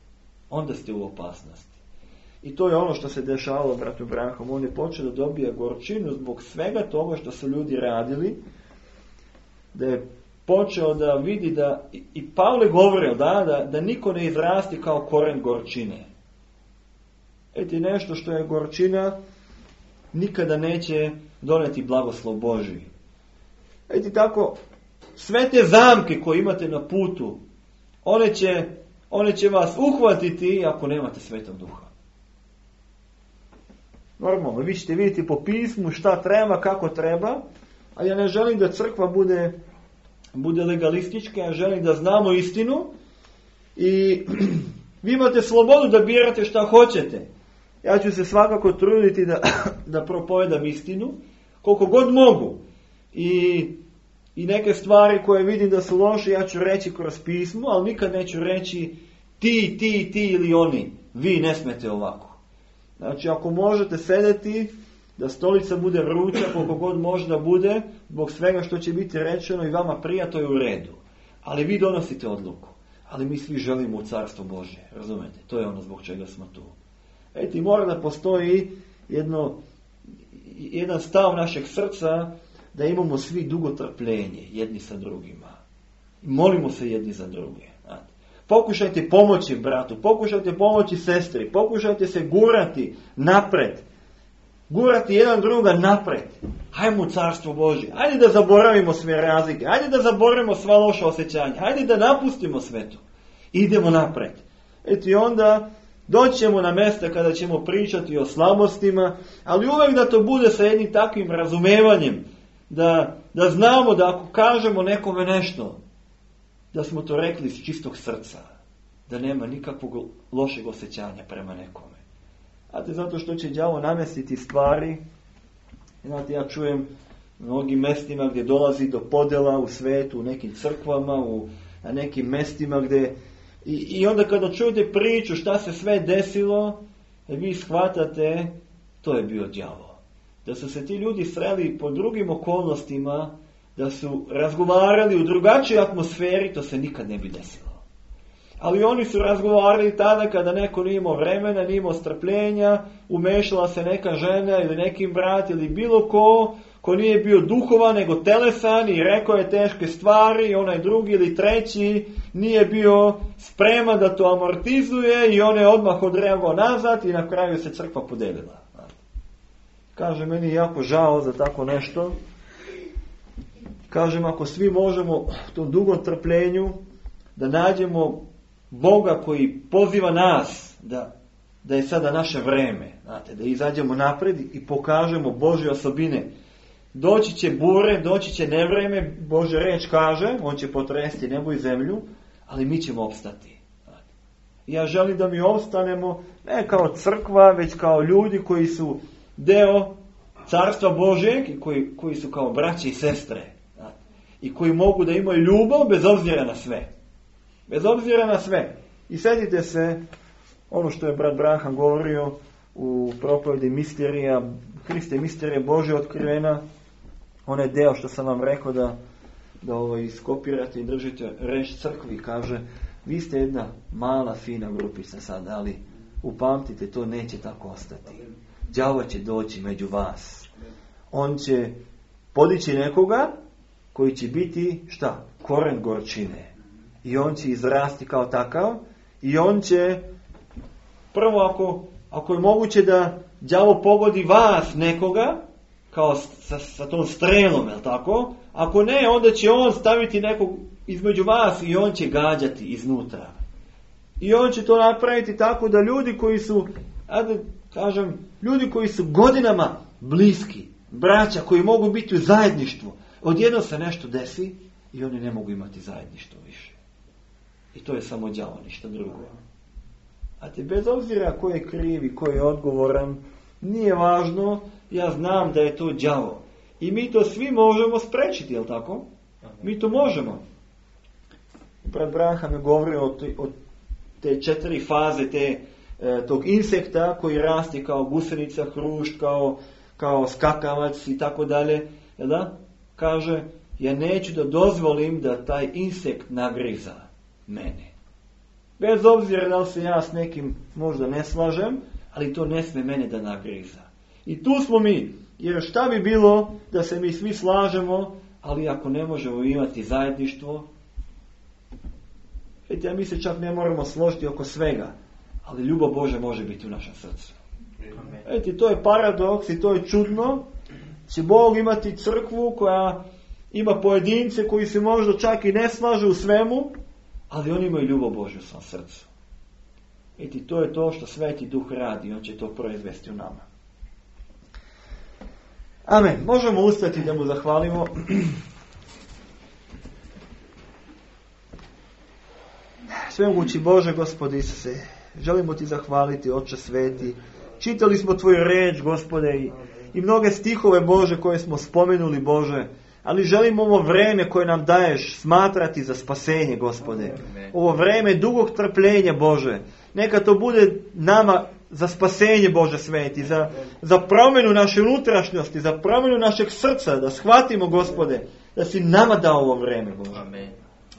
Onda ste u opasnosti. I to je ono što se dešavalo bratu Branham. On je počeo da dobija gorčinu zbog svega toga što su ljudi radili. Da je počeo da vidi da, i Pavle govorio da, da, da niko ne izrasti kao koren gorčine. Eti nešto što je gorčina nikada neće doneti blagoslov Božji. Eti tako, sve te zamke koje imate na putu, one će, one će vas uhvatiti ako nemate Svetog Duha. Normalno, vi ćete vidjeti po pismu šta treba, kako treba, a ja ne želim da crkva bude, bude legalistička, ja želim da znamo istinu i vi imate slobodu da birate šta hoćete. Ja ću se svakako truditi da, da propovedam istinu, koliko god mogu. I, I neke stvari koje vidim da su loše, ja ću reći kroz pismo, ali nikad neću reći ti, ti, ti ili oni. Vi ne smete ovako. Znači, ako možete sedeti, da stolica bude vruća, koliko god može da bude, zbog svega što će biti rečeno i vama prija, to je u redu. Ali vi donosite odluku. Ali mi svi želimo u Carstvo Božje. Razumete? To je ono zbog čega smo tu. Eti, mora da postoji jedno, jedan stav našeg srca da imamo svi dugo trpljenje jedni sa drugima. I molimo se jedni za druge. Znate. Pokušajte pomoći bratu, pokušajte pomoći sestri, pokušajte se gurati napred. Gurati jedan druga napred. Hajmo u Carstvo Božje. Hajde da zaboravimo sve razlike. Hajde da zaboravimo sva loša osjećanja. Hajde da napustimo sve to. Idemo napred. Eti onda doći ćemo na mjesta kada ćemo pričati o slabostima, ali uvijek da to bude sa jednim takvim razumevanjem, da, da znamo da ako kažemo nekome nešto, da smo to rekli iz čistog srca, da nema nikakvog lošeg osjećanja prema nekome. Znate, zato što će đavo namestiti stvari. Znate, ja čujem u mnogim mestima gdje dolazi do podjela u svetu, u nekim crkvama, u, na nekim mestima gdje I, I onda kada čujete priču šta se sve desilo, vi shvatate, to je bio đavo. Da su se ti ljudi sreli po drugim okolnostima, da su razgovarali u drugačijoj atmosferi, to se nikad ne bi desilo. Ali oni su razgovarali tada kada neko nije imao vremena, nije imao strpljenja, umešala se neka žena ili neki brat ili bilo ko, ko nije bio duhovan nego telesan i rekao je teške stvari, i onaj drugi ili treći nije bio spreman da to amortizuje i on je odmah odreagovao nazad i na kraju se crkva podelila. Kaže, meni je jako žao za tako nešto. Kažem, ako svi možemo u tom dugom trpljenju da nađemo Boga koji poziva nas da, da je sada naše vreme, znate, da izađemo napred i pokažemo Božje osobine. Doći će bure, doći će nevreme, Božja reč kaže, on će potresti nebo i zemlju, ali mi ćemo opstati. Znate. Ja želim da mi opstanemo ne kao crkva, već kao ljudi koji su deo Carstva Božjeg i koji, koji su kao braće i sestre. Znate. I koji mogu da imaju ljubav bez obzira na sve. Bez obzira na sve. I sjetite se ono što je brat Branham govorio u propovedi misterija, Hriste misterija Božja otkrivena, onaj deo što sam vam rekao da, da ovo iskopirate i držite reč crkvi, kaže, vi ste jedna mala, fina grupica sad, ali upamtite, to neće tako ostati. Đavo će doći među vas. On će podići nekoga koji će biti, šta? Koren gorčine. I on će izrasti kao takav i on će, prvo ako, ako je moguće da đavo pogodi vas nekoga, kao sa, sa tom strelom, je li tako? Ako ne, onda će on staviti nekog između vas i on će gađati iznutra. I on će to napraviti tako da ljudi koji su, ajde kažem, ljudi koji su godinama bliski, braća koji mogu biti u zajedništvu, odjednom se nešto desi i oni ne mogu imati zajedništvo više. I to je samo đavo, ništa drugo. A te bez obzira ko je kriv i ko je odgovoran, nije važno, ja znam da je to đavo. I mi to svi možemo sprečiti, jel tako? Mi to možemo. Brat Branham je govorio o, te, o te četiri faze te, e, tog insekta koji rasti kao gusenica, hrušt, kao, kao skakavac i tako dalje. Jel da? Kaže, ja neću da dozvolim da taj insekt nagriza mene. Bez obzira da li se ja s nekim možda ne slažem, ali to ne sme mene da nagriza. I tu smo mi. Jer šta bi bilo da se mi svi slažemo, ali ako ne možemo imati zajedništvo, vidite, mi se čak ne moramo složiti oko svega, ali ljubav Božja može biti u našem srcu. Vidite, to je paradoks i to je čudno. Će Bog imati crkvu koja ima pojedince koji se možda čak i ne slažu u svemu, ali oni imaju ljubav Božju u svom srcu. Vidite, to je to što Sveti Duh radi, on će to proizvesti u nama. Amen. Možemo ustati da mu zahvalimo. Svemogući Bože, Gospode Isuse, želimo ti zahvaliti, Oče Sveti. Čitali smo tvoju reč, Gospode, i, i mnoge stihove, Bože, koje smo spomenuli, Bože, ali želimo ovo vreme koje nam daješ smatrati za spasenje, Gospode. Ovo vreme dugog trpljenja, Bože. Neka to bude nama za spasenje, Bože Sveti, za, za promjenu naše unutrašnjosti, za promjenu našeg srca, da shvatimo, Gospode, da si nama dao ovo vreme, Bože. Amen.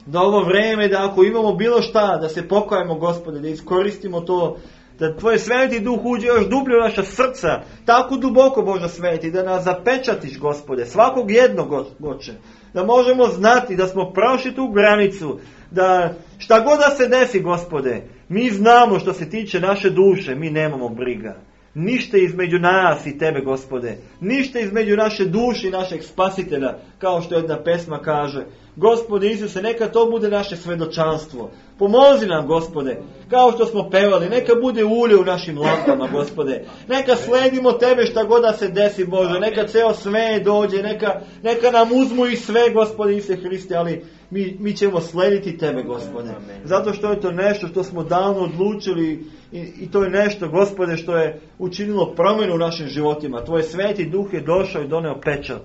Da ovo vreme, da ako imamo bilo šta, da se pokajemo, Gospode, da iskoristimo to, da tvoj Sveti Duh uđe još dublje u naša srca, tako duboko, Bože Sveti, da nas zapečatiš, Gospode, svakog jednog, Oče, da možemo znati da smo prošli tu granicu, da šta god da se desi, Gospode, mi znamo što se tiče naše duše, mi nemamo briga. Ništa između nas i tebe, Gospode. Ništa između naše duše i našeg spasitelja, kao što jedna pesma kaže. Gospode Isuse, neka to bude naše svedočanstvo. Pomozi nam, Gospode, kao što smo pevali, neka bude ulje u našim lampama, Gospode. Neka sledimo tebe šta god da se desi, Bože. Neka ceo sve dođe, neka, neka nam uzmu i sve, Gospode Isuse Hriste, ali mi, mi ćemo slediti tebe, Gospode. Zato što je to nešto što smo davno odlučili i, i to je nešto, Gospode, što je učinilo promjenu u našim životima. Tvoj Sveti Duh je došao i doneo pečat.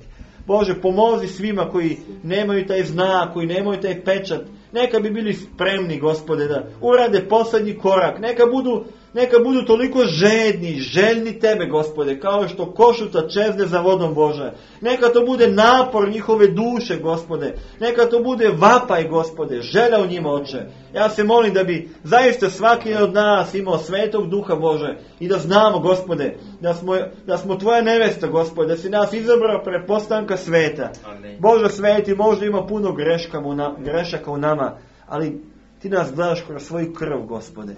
Bože, pomozi svima koji nemaju taj znak, koji nemaju taj pečat. Neka bi bili spremni, Gospode, da urade posljednji korak. Neka budu, neka budu toliko žedni, željni tebe, Gospode, kao što košuta čezne za vodom, Bože. Neka to bude napor njihove duše, Gospode. Neka to bude vapaj, Gospode, želja u njima, Oče. Ja se molim da bi zaista svaki od nas imao Svetog Duha, Bože, i da znamo, Gospode, da smo, da smo tvoja nevesta, Gospode, da si nas izabrao pre postanka sveta. Amen. Bože Sveti, možda ima puno greška u na, grešaka u nama, ali ti nas gledaš kroz svoju krv, Gospode.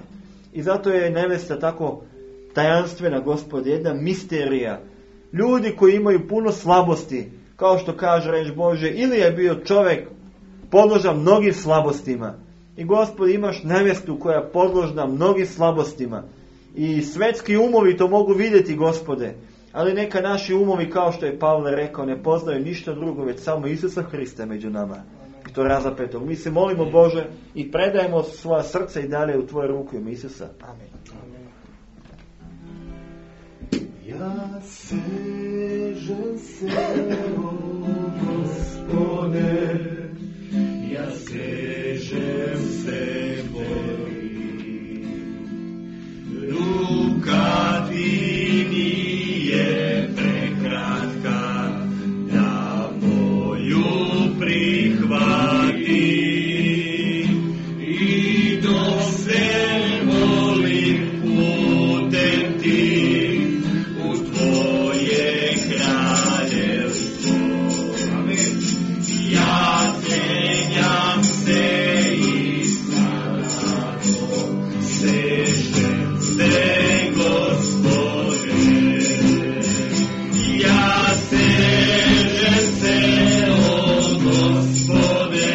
I zato je nevesta tako tajanstvena, Gospode, jedna misterija. Ljudi koji imaju puno slabosti, kao što kaže reč Bože, ili je bio čovjek podložan mnogim slabostima. I, Gospode, imaš nevestu koja je podložna mnogim slabostima. I svetski umovi to mogu vidjeti, Gospode. Ali neka naši umovi, kao što je Pavle rekao, ne poznaju ništa drugo, već samo Isusa Hrista među nama. I to razapetog. Mi se molimo, Bože, i predajemo svoja srca i dalje u tvoje ruku ime Isusa. Amen. Amen. Ja sežem se, o Gospode, ja sežem se Boži, sežem se, Gospode. Ja sežem se, o Gospode,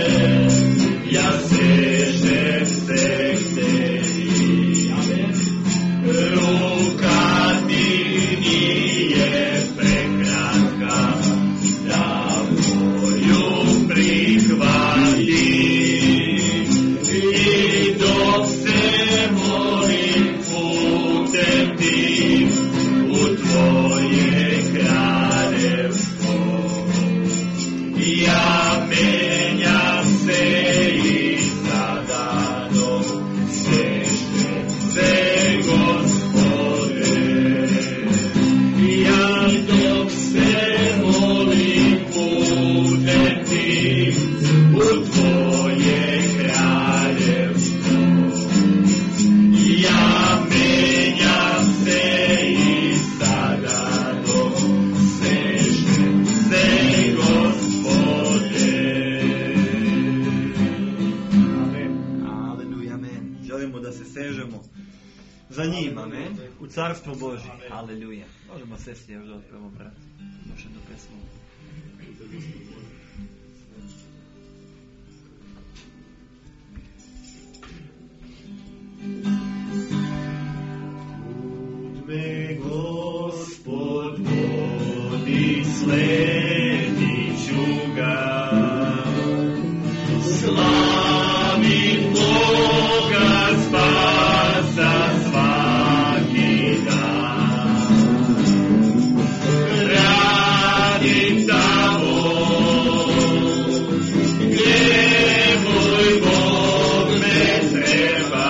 ja sežem se k Tebi. Ruka Ti nije prekratka, da moju prihvati. I dok se molim putem Tim u Tvoje kraljevstvo, ja menjam se i sada dok sežem se, Gospode. Ja dok se molim putem Tim u Tvoje kraljevstvo, ja menjam se i sada dok sežem se, Gospode. Amen. Aleluja, amen. Želimo da se sežemo za njim, amen, u Carstvo Božje. Aleluja. Možemo sesti još da otpevamo, brat. Još jednu pesmu. Me Gospod vodi, sledit ću ga. Slavim Boga spasa svaki dan. Radim tamo gdje moj Bog me treba.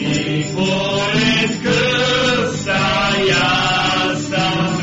I pored krsta ja sam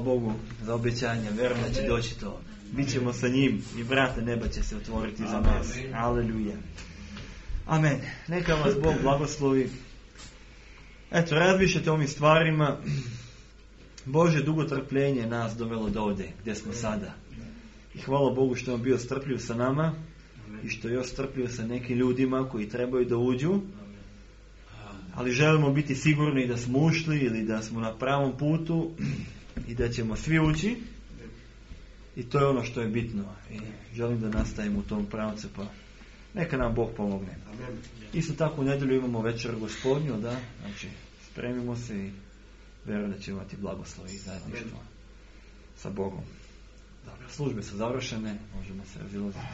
Bogu za obećanje, vjerujem da će doći to. Bićemo sa njim i vrata neba će se otvoriti za nas. Aleluja. Amen. Neka vas Bog blagoslovi. Eto, razmišljate o ovim stvarima. Bože dugo trpljenje nas dovelo do ovdje gdje smo sada. I hvala Bogu što je on bio strpljiv sa nama i što je još strpljiv sa nekim ljudima koji trebaju da uđu. Ali želimo biti sigurni da smo ušli ili da smo na pravom putu i da ćemo svi ući. I to je ono što je bitno. I želim da nastavimo u tom pravcu, pa neka nam Bog pomogne. Isto tako u nedjelju imamo večer Gospodnju, da, znači spremimo se i vjerujem da ćemo imati blagoslov i zajedništvo sa Bogom. Dobro, službe su završene, možemo se razilaziti.